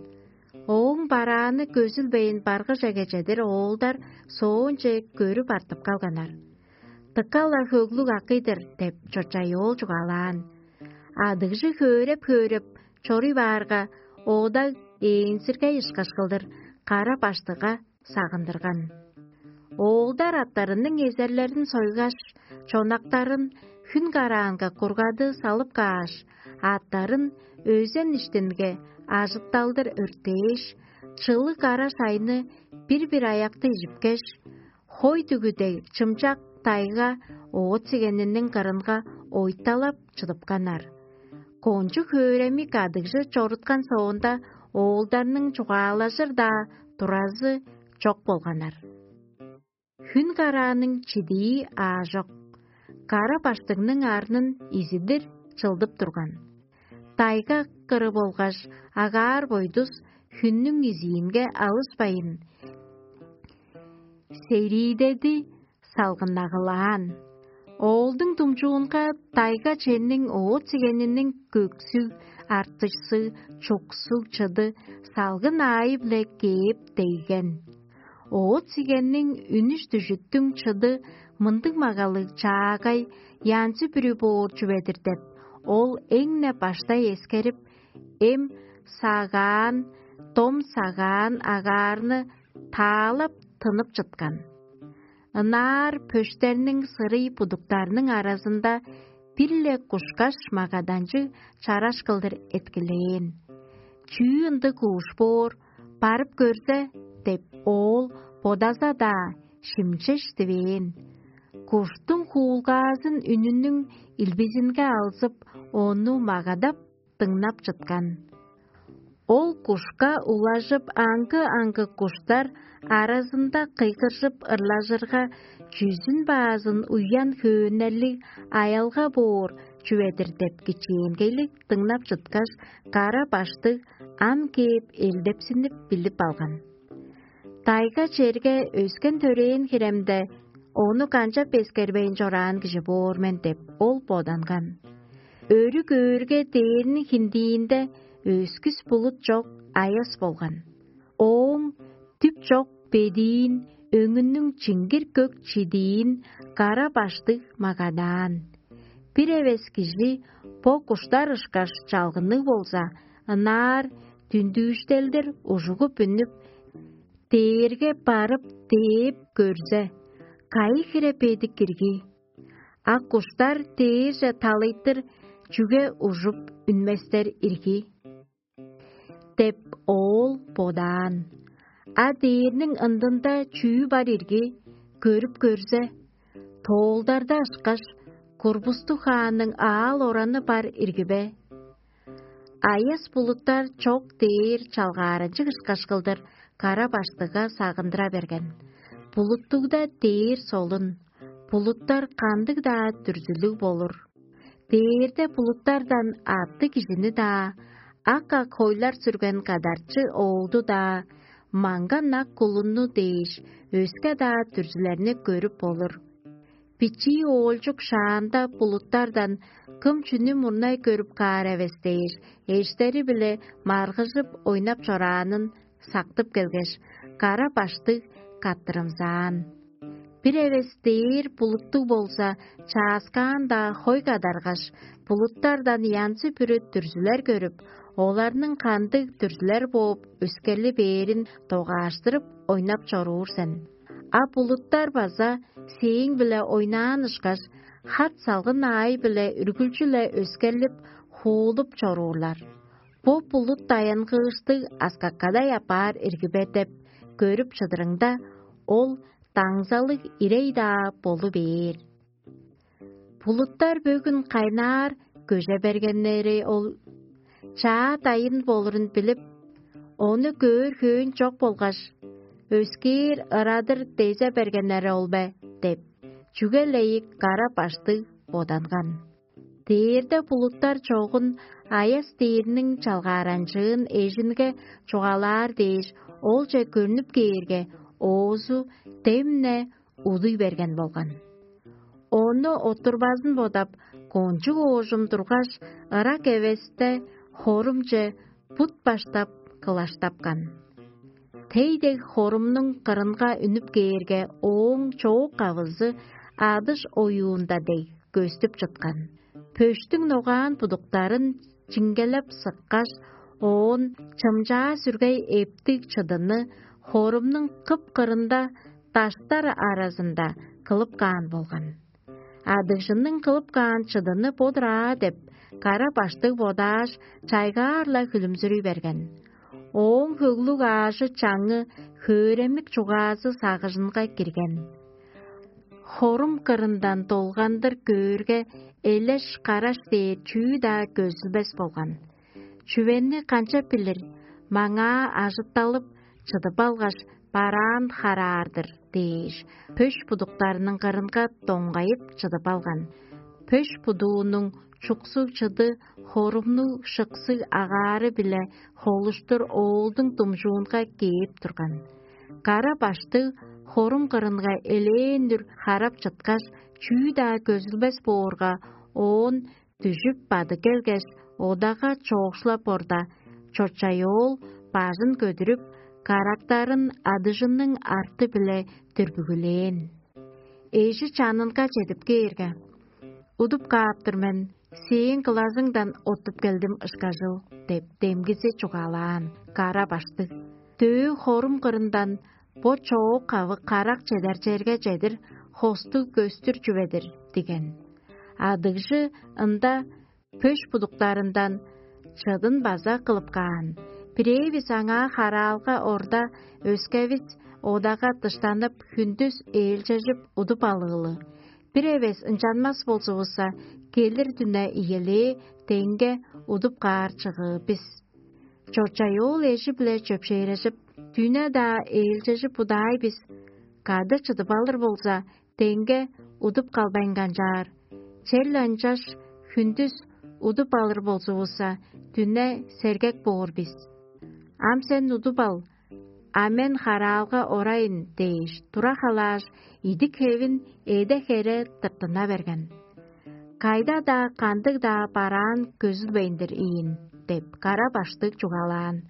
Ооң барааны көзүлбейн, баргыжеге чедир оолдар соонче көрүп артып калганнар. «Дыка-ла хөглүг акый-дыр» – деп, Чочай-оол чугаалаан. Адыгжы хөөреп-хөөреп чоруй баарга, ода ээнзиргей ышкаш кылдыр Кара-Баштыгга сагындырган. Оолдар аттарының эзерлерин сойгаш, чонактарын хүн караанга кургады салып кааш, аттарын өзен иштинге ажытталдыр өртээш, чылыг кара шайны бир-бир аякты ижипкеш, хой дүгү дег чымчак тайга оът-сигениниң кырынга ойталап чыдыпканнар. Кончуг хөөремик Адыгжы чоруткан соонда, оолдарның чугаалажыр-даа туразы чок болганнар. Хүн карааның чидии аажок. Кара-Баштыгның арнын изидир чылдып турган. Тайга кыры болгаш агаар-бойдус хүннүң изиинге алышпайн, сериидеди салгыннагылаан. Оолдуң думчуунга тайга ченниң оът-сигениниң көксүг, артышсыг, чуксуг чыды салгын аайы-биле кээп дегген. Оът сигенниң үнүш дүжүттүң чыды мындыг магалыг чаагай янзы-бүрү боор чүве-дир деп, ол эң-не баштай эскерип, эм сагаан, дом сагаан агаарны таалап тынып чыткан. Ынаар пөштерниң сырый будуктарның аразында бир-ле кушкаш магаданчыг чараш кылдыр эткилээн. «Чүү ындыг кууш боор, барып көрзе» – деп, оол бодаза-даа шимчеш дивээн. Куштуң хуулгаазын үнүнүң илбизинге алзып, ону магадап дыңнап чыткан. Ол кушка улажып, аңгы-аңгы куштар аразында кыйгыржып ырлажырга, чүзүн баазын уян хөөннерлиг аялга боор чүве-дир деп кичээнгейлиг дыңнап чыткаш, кара баштыг ам кээп элдепсинип билип алган. Дайга черге өскен төрээн хиремде ону канчап эскербейн чораан кижи боор мен деп, ол боданган. Өрү көөрге, дээрниң хиндиинде өскүс булут чок аяс болган. Ооң дүп чок бедиин, өңүнүң чиңгир көк чидиин кара баштыг магадаан. Бир эвес кижи бо куштар ышкаш чалгынныг болза, ынаар дүндүүштелдир ужугуп үнүп, дээрге барып дээп көрзе, кайы хире бедик ирги? А куштар дээрже талыйтыр чүге ужуп үнместер ирги? Деп оол бодаан. А дээрниң ындында чүү бар ирги? Көрүп көрзе, тоолдарда ышкаш курбустуг хаанның аал-ораны бар ирги бе? Аяс булуттар чок дээр чалгааранчыг ышкаш кылдыр кара баштыга сагындыра берген. Булуттугда дээр солун, булуттар кандыг-даа дүрзүлүг болур. Дээрде булуттардан атты кижини-даа, ак-ак хойлар сүрген кадарчы оолду-даа, маңган ак кулунну дээш, өске-даа дүрзүлерни көрүп болур. Бичии оолчук шаанда булуттардан кым чүнү мурнай көрүп каар эвес дээш, эштери-биле маргыжып ойнап чораанын сактып келгеш, кара баштыг каттырымзаан. Бир эвес дээр булуттуг болза, чааскаан-даа хой кадаргаш, булуттардан янзы-бүрү дүрзүлер көрүп, оларның кандыг дүрзүлер бооп өскерли бээрин догааштырып ойнап чоруур сен. А булуттар база сээң-биле ойнаан ышкаш, хат-салгын аай-биле үргүлчү-ле өскерлип, хуулуп чоруурлар. Бо булут даянгыыштыг аскакадай апаар ирги бе деп көрүп чыдырыңда, ол даңзалыг ирей-даа болу бээр. Булуттар бөгүн кайнаар көже бергеннери ол чаа дайын болурун билип, ону көөр хөөн чок болгаш, өскээр ырадыр дезе бергеннери ол бе деп, чүге-ле ийик кара баштыг боданган. Дээрде булуттар чогун аяс дээрниң чалгааранчыын эжинге чугаалаар дээш, олче көрнүп кээрге, оозу демне удуй берген болган. Ону оттурбазын бодап, кончуг оожум тургаш, ырак эвесте хорумче бут баштап кылаштапкан. Тей дег хорумнуң кырынга үнүп кээрге, ооң чоок-кавызы адыш оюунда дег көстүп чыткан. Пөштүң ногаан будуктарын чиңгелеп сыккаш, оон чымчаа сүргей эптиг чыдыны хорумнуң кып-кырында даштар аразында кылып каан болган. Адыгжының кылып каан чыдыны бо-дур аа деп, кара баштыг бодааш, чайгаар-ла хүлүмзүрүй берген. Ооң хөглүг аажы-чаңы, хөөремик чугаазы сагыжынга кирген. Хорум кырындан долгандыр көөрге, элеш-караш дээр чүү-даа көзүлбес болган. Чүвени канчап билир, маңаа ажытталып, чыдып алгаш, бараан хараар-дыр дээш, пөш будуктарының кырынга доңгайып чыдып алган. Пөш будуунуң чуксуг чыды хорумнуг шыксыг агаары-биле холуштур оолдуң думчуунга кээп турган. Кара баштыг хорум кырынга элээн-дүр харап чыткаш, чүү-даа көзүлбес боорга, оон дүжүп бады келгеш, одага чоокшулап орда, чочай оол бажын көдүрүп, карактарын адыжынның арты-биле дүрбүгүлээн. Эжи чанынга чедип кээрге: «Удуп кааптыр мен, сээң кылазыңдан оттуп келдим ышкажыл» — деп, демгизи чугаалаан кара баштыг. Дөө хорум кырындан бо чоок-кавы карак чедар черге чедир хостуг көстүр чүве-дир диген. Адыгжы ында пөш будуктарындан чыдын база кылып каан. Бирээвис аңаа хараалга орда, өскевис одага дыштанып, хүндүс ээлчежип удуп алыылы. Бир эвес ынчанмас болзувусса, келир дүне ийилээ деңге удуп каар чыгыы бис. Чорчай-оол эжи-биле чөпшээрежип, дүне-даа ээлчежип удаай бис. Кады чыдып алыр болза, деңге удуп калбайн канчаар. Черле ынчаш хүндүс удуп алыр болзувусса, дүне сергек боор бис. Ам сен удуп ал, а мен хараалга орайын дээш, тура халааш, идик-хевин эде-хере тыртына берген. Кайда-даа, кандыг-даа бараан көзүлбейн-дир ийин деп, кара баштыг чугаалаан.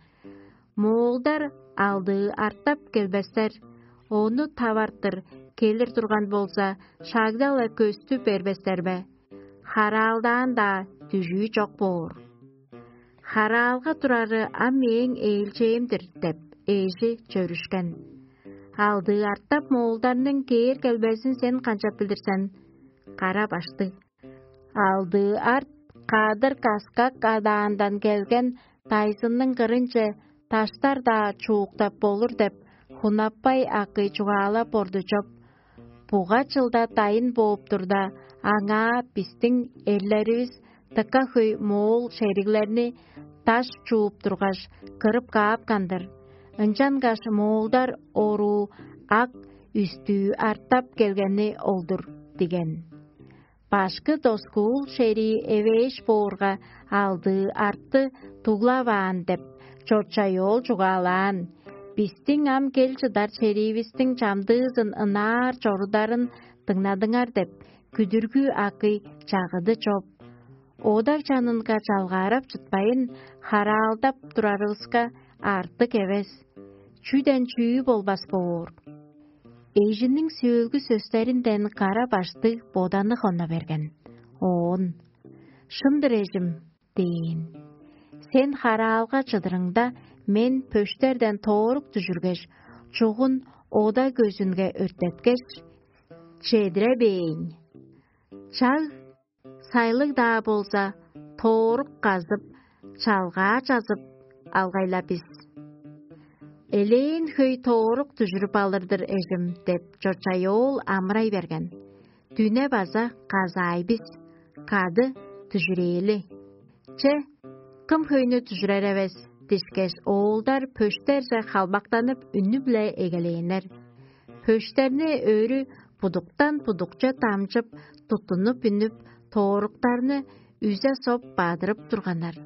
Моолдар алдыы артап келбестер, ону тавартыр келир турган болза, шагда-ла көстү бербестер бе? Хараалдаан-даа дүжүү чок боор. Хараалга турары ам мээң ээлчээм-дир деп, эжи чөрүшкен. Алдыы артап моолдарның кээр келбезин сен канчап билир сен? Кара баштыг. Алдыы арт кадыр каскак адаандан келген дайзынның кырынче даштар-даа чууктап болур деп, хунаппай акый чугаалап орду чоп. Буга чылда дайын бооп турда, аңаа бистиң эрлеривис дыка хөй моол шериглерни даш чууп тургаш, кырып каапкан-дыр. Ынчангаш моолдар оруу ак үстүү артап келгени ол-дур диген. Башкы доскуул шерии эвээш боорга, алдыы арты дуглаваан деп, чорчай-оол чугаалаан. Бистиң ам кел чыдар шериивистиң чамдыызын ынаар чорударын дыңнадыңар деп, күдүргү акый чагыды чоп. Одаг чанынга чалгаарап чытпайн, хараалдап турарывыска артык эвес. Чүден чүү болбас боор. Эжиниң сөөлгү сөстеринден кара баштыг боданы хонна берген. Оон: «Шын-дыр, эжим» – дээн. «Сен хараалга чыдырыңда, мен пөштерден тоорук дүжүргеш, чугун ода көзүнге өртеткеш, чедире бээйн. Чаг сайлыг-даа болза, тоорук казып, чалгаа чазып алгай-ла бис». «Элээн хөй тоорук дүжүрүп алыр-дыр, эжим» – деп, чочай-оол амырай берген. «Дүне база казаай бис, кады дүжүрээли. Че, кым хөйнү дүжүрер эвес?» – дишкеш, оолдар пөштерже халбактанып, үнү-биле эгелээннер. Пөштерни өрү будуктан будукче дамчып, туттунуп үнүп, тооруктарны үзе соп бадырып турганнар.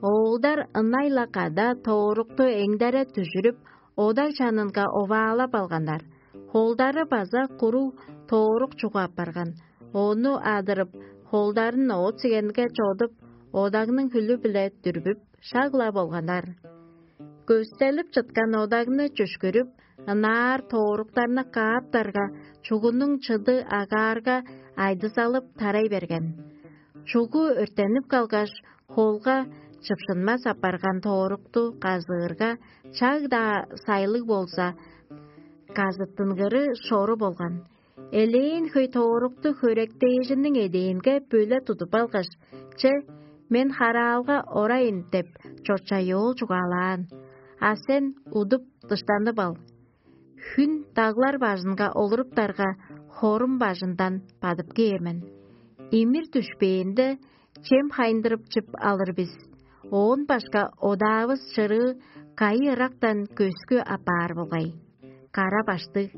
Оолдар ынай-ла када тоорукту эңдере дүжүрүп, одаг чанынга оваалап алганнар. Холдары база куруг тоорук чугу апарган. Ону адырып, холдарын оът-сигенге чодуп, одагның хүлү-биле дүрбүп, шаг-ла болганнар. Көстелип чыткан одагны чүшкүрүп, ынаар тооруктарны кааптарга, чугунуң чыды агаарга, айдызалып тарай берген. Чугу өрттенип калгаш, холга чыпшынмас апарган тоорукту казыырга, чаг-даа сайлыг болза, казыттынгыры шору болган. Элээн хөй тоорукту хөректээжиниң эдээнге бөле тудуп алгаш: «Че, мен хараалга орайын» – деп, чочай-оол чугаалаан. «А сен удуп, дыштанып ал. Хүн даглар бажынга олуруптарга, хорум бажындан бадып кээр мен. Имир дүшпээнде, чем хайындырып чип алыр бис. Оон башка одаавыс чырыы кайы ырактан көскү апаар болгай?» Кара баштыг: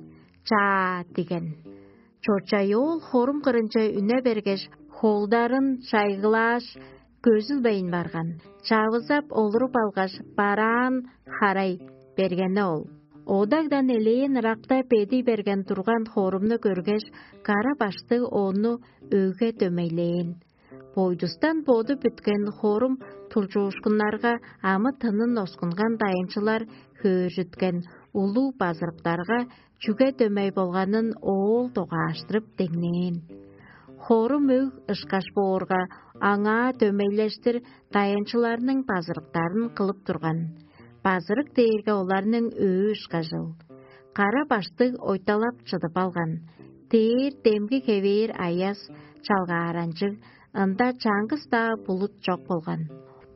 «Чаа» – диген. Чочай-оол хорум кырынче үне бергеш, холдарын чайгылааш, көзүлбейн барган. Чавызап олуруп алгаш, бараан харай бергени ол. Одагдан элээн ыракта бедий берген турган хорумну көргеш, кара баштыг ону өгге дөмейлээн. Бойдустан боду бүткен хорум тулчуушкуннарга амы-тынын оскунган дайынчылар хөөржүткен улуг базырыктарга чүге дөмей болганын оол догааштырып деңнээн. Хорум өг ышкаш боорга, аңаа дөмейлештир дайынчыларның базырыктарын кылып турган. Базырык дээрге оларның өө ышкажыл. Кара баштыг ойталап чыдып алган. Дээр демги хевээр аяс, чалгааранчыг, ында чаңгыс-даа булут чок болган.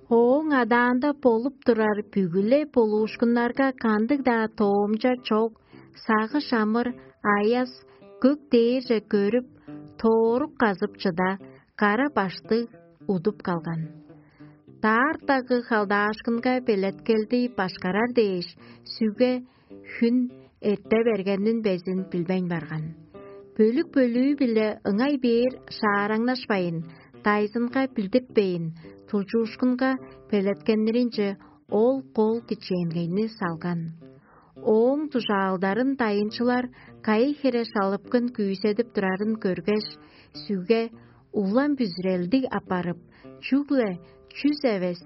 Ооң адаанда болуп турар бүгү-ле болуушкуннарга кандыг-даа тоомча чок, сагыш амыр, аяс көк дээрже көрүп, тоорук казып чыда, кара баштыг удуп калган. Даар дагы халдаашкынга белеткелди башкарар дээш, сүге хүн эрте бергенин безин билбейн барган. Бөлүк-бөлүү-биле ыңай бээр шаараңнашпайн, дайзынга билдиртпейн, тулчуушкунга белеткеннеринче ол кол кичээнгейни салган. Ооң дужаалдарын дайынчылар кайы хире шалыпкын күүседип турарын көргеш, сүге улам бүзүрелдиг апарып, чүгле чүс эвес,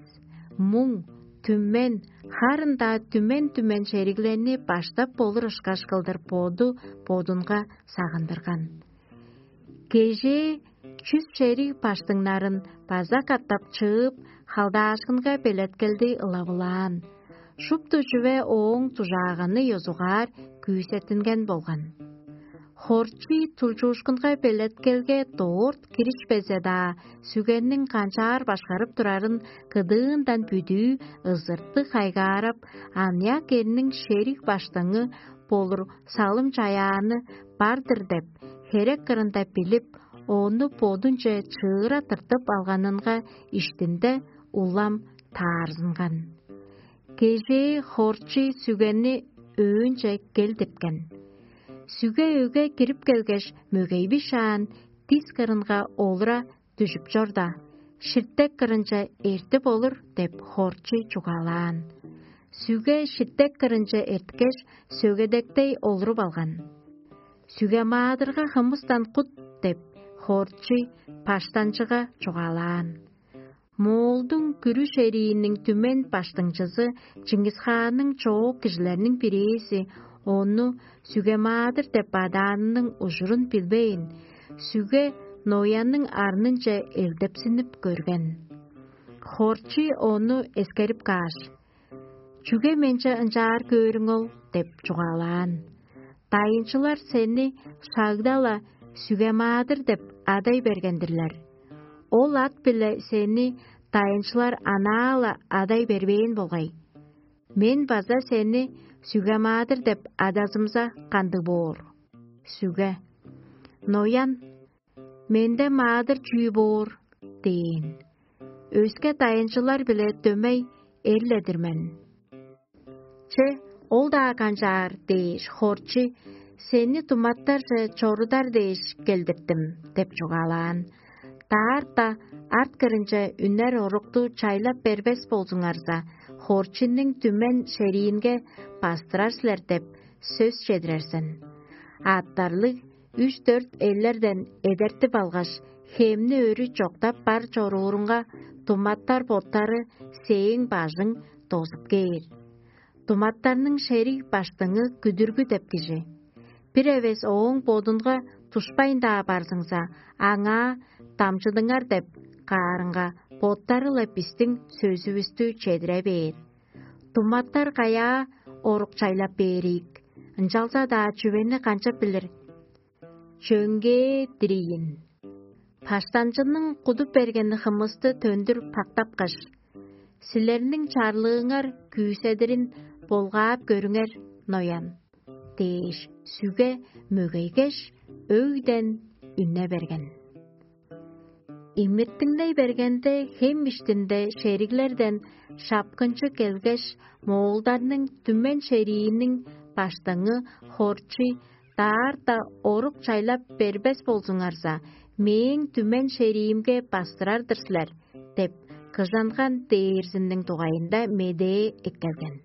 муң, түмен, харын-даа түмен-түмен шериглерни баштап болур ышкаш кылдыр боду бодунга сагындырган. Кежээ чүс шериг баштыңнарын база катап чыып, халдаашкынга белеткелди ылавылаан. Шупту чүве ооң дужааганы ёзугаар күүсеттинген болган. Хорчий тулчуушкунга белеткелге дорт киришпезе-даа, сүгенниң канчаар башкарып турарын кыдыындан бүдүү ызыртыг хайгаарап, аныяк эрниң шериг баштыңы болур салым-чаяаны бар-дыр деп, херек кырында билип, ону бодунче чыыра тыртып алганынга иштинде улам таарзынган. Кежээ хорчий сүгени өөнче келдирткен. Сүге өге кирип келгеш, мөгейби шаан дис кырынга олура дүжүп чорда, ширтек кырынче эртип олур деп хорчий чугаалаан. Сүге ширтек кырынче эрткеш, сөгедектей олуруп алган. Сүге-маадырга хымыстан кут деп, хорчий баштанчыга чугаалаан. Моолдуң күрүш эрииниң түмен баштыңчызы Чыңгыс-хаанның чоок кижилерниң бирээзи ону Сүге-маадыр деп адаанының ужурун билбейн, сүге Ноянның арнынче элдепсинип көрген. Хорчий ону эскерип кааш: «Чүге менче ынчаар көөрүң ол?» – деп чугаалаан. «Дайынчылар сени шагда-ла Сүге-маадыр деп адай берген-дирлер. Ол ат-биле сени дайынчылар анаа-ла адай бербээн болгай. Мен база сени Сүге-маадыр деп адазымза, кандыг боор?» Сүге: «Ноян, менде маадыр чүү боор?» – дээн. «Өске дайынчылар-биле дөмей эр-ле-дир мен». «Че, ол-даа канчаар» – дээш, хорчий: «Сени туматтарже чорудар дээш келдиртим» – деп чугаалаан. «Даарта арт кырынче үнер орукту чайлап бербес болзуңарза, хорчийниң түмен шериинге бастырар силер деп сөс чедирер сен. Аъттарлыг үш-дөрт элдерден эдертип алгаш, хемни өрү чоктап бар чоруурунга, туматтар боттары сээң бажың дозуп кээр. Туматтарның шериг баштыңы күдүргү деп кижи. Бир эвес ооң бодунга тушпайн-даа барзыңза, аңаа дамчыдыңар деп каарынга, боттары-ла бистиң сөзүвүстү чедире бээр. Туматтар каяа орук чайлап бээр ийик, ынчалза-даа чүвени канчап билир? Чөңгее дириин. Баштанчының кудуп берген хымысты төндүр пактапкаш: „Силерниң чарлыыңар күүседирин болгаап көрүңер, ноян“ – дээш, сүге мөгейгеш, өгден үне берген. Имиртиңней бергенде, хем иштинде шериглерден шапкынчы келгеш, моолдарның түмен шерииниң баштыңы Хорчий даарта орук чайлап бербес болзуңарза, мээң түмен шериимге бастырар-дыр силер деп, кыжанган дээрзиниң дугайында медээ эккелген.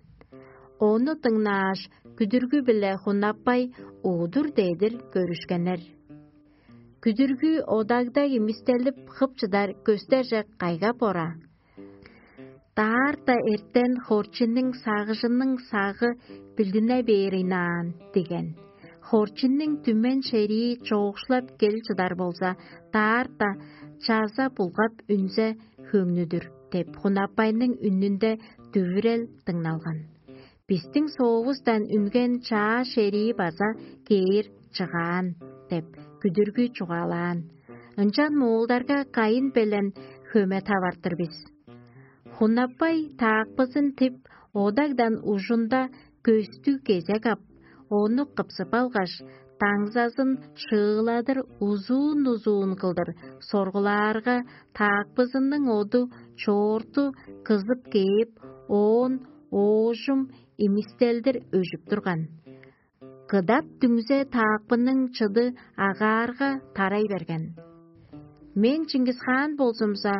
Ону дыңнааш, күдүргү-биле хунаппай, удур-дедир көрүшкеннер. Күдүргү одагда имистелип хып чыдар көстерже кайгап ора. Даарта эртен хорчуннуң сагыжының сагы билдине бээр ыйнаан деген. Хорчуннуң түмен шерии чоокшулап кел чыдар болза, даарта чаза булгап үнзе хөңнүдүр деп, Хунапайның үнүнде дүвүрел дыңналган. Бистиң соовустан үнген чаа шерии база кээр чыгаан деп, күдүргү чугаалаан. Ынчан моолдарга кайын белен хөме тавартыр бис. Хунаппай таакпызын тип, одагдан ужунда көстүг кезек ап, ону кыпсып алгаш, даңзазын шыыладыр узуун-узуун кылдыр соргулаарга, таакпызының оду чоорту кызып кээп, оон оожум имистелдир өжүп турган. Кыдат дүңзе таакпының чыды агаарга тарай берген. Мен Чингисхаан болзумза,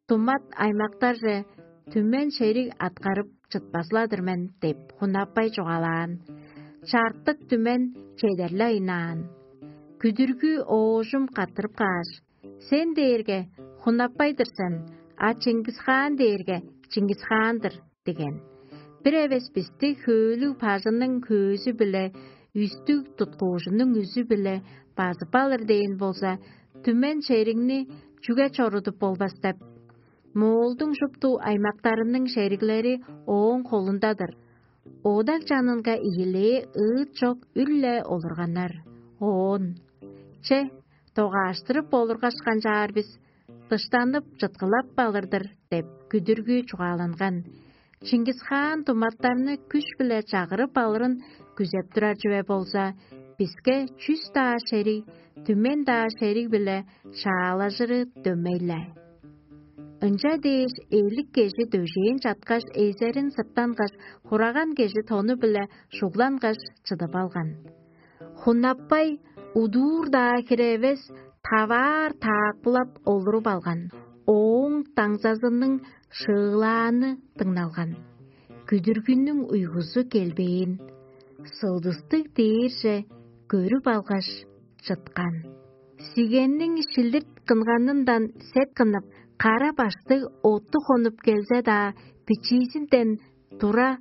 тумат аймактарже түмен шериг аткарып чытпазыладыр мен деп, Хунаппай чугаалаан. Чартык түмен чедерле айнаан. Күдүргү оожум каттырып кааш: «Сен дээрге Хунаппай-дыр сен, а Чингисхаан дээрге Чингисхаан-дыр» деген. Бир эвес бисти хөөлүг бажының хөөзү-биле, үстүг туткуужунуң үзү-биле базып алыр дээн болза, түмен шеригни чүге чорудуп болбас деп? Моолдуң шупту аймактарының шериглери ооң холунда-дыр. Одаг чанынга ийилээ ыыт чок үр-ле олурганнар. Оон: «Че, догааштырып олургашкан чаар бис, дыштанып чыткылап алыр-дыр» деп, күдүргү чугааланган. Чингисхаан туматтарны күш-биле чагырып алырын күзеп турар чүве болза, биске чүс-даа шериг, түмен-даа шериг-биле шаалажыры дөмей-ле. Ынча дээш, элик кежи дөжээн чаткаш, эзерин сырттангаш, хураган кежи тону-биле шуглангаш, чыдып алган. Хунаппай удуур-даа хире эвес, таваар таакпылап олуруп алган. Ооң даңзазының шыылааны дыңналган. Күдүргүнүң уйгузу келбээн, сылдыстыг дээрже көрүп алгаш, чыткан. Сигенниң шилдирт кынганындан сет кынып, кара баштыг отту хонуп келзе-даа, бичиизинден тура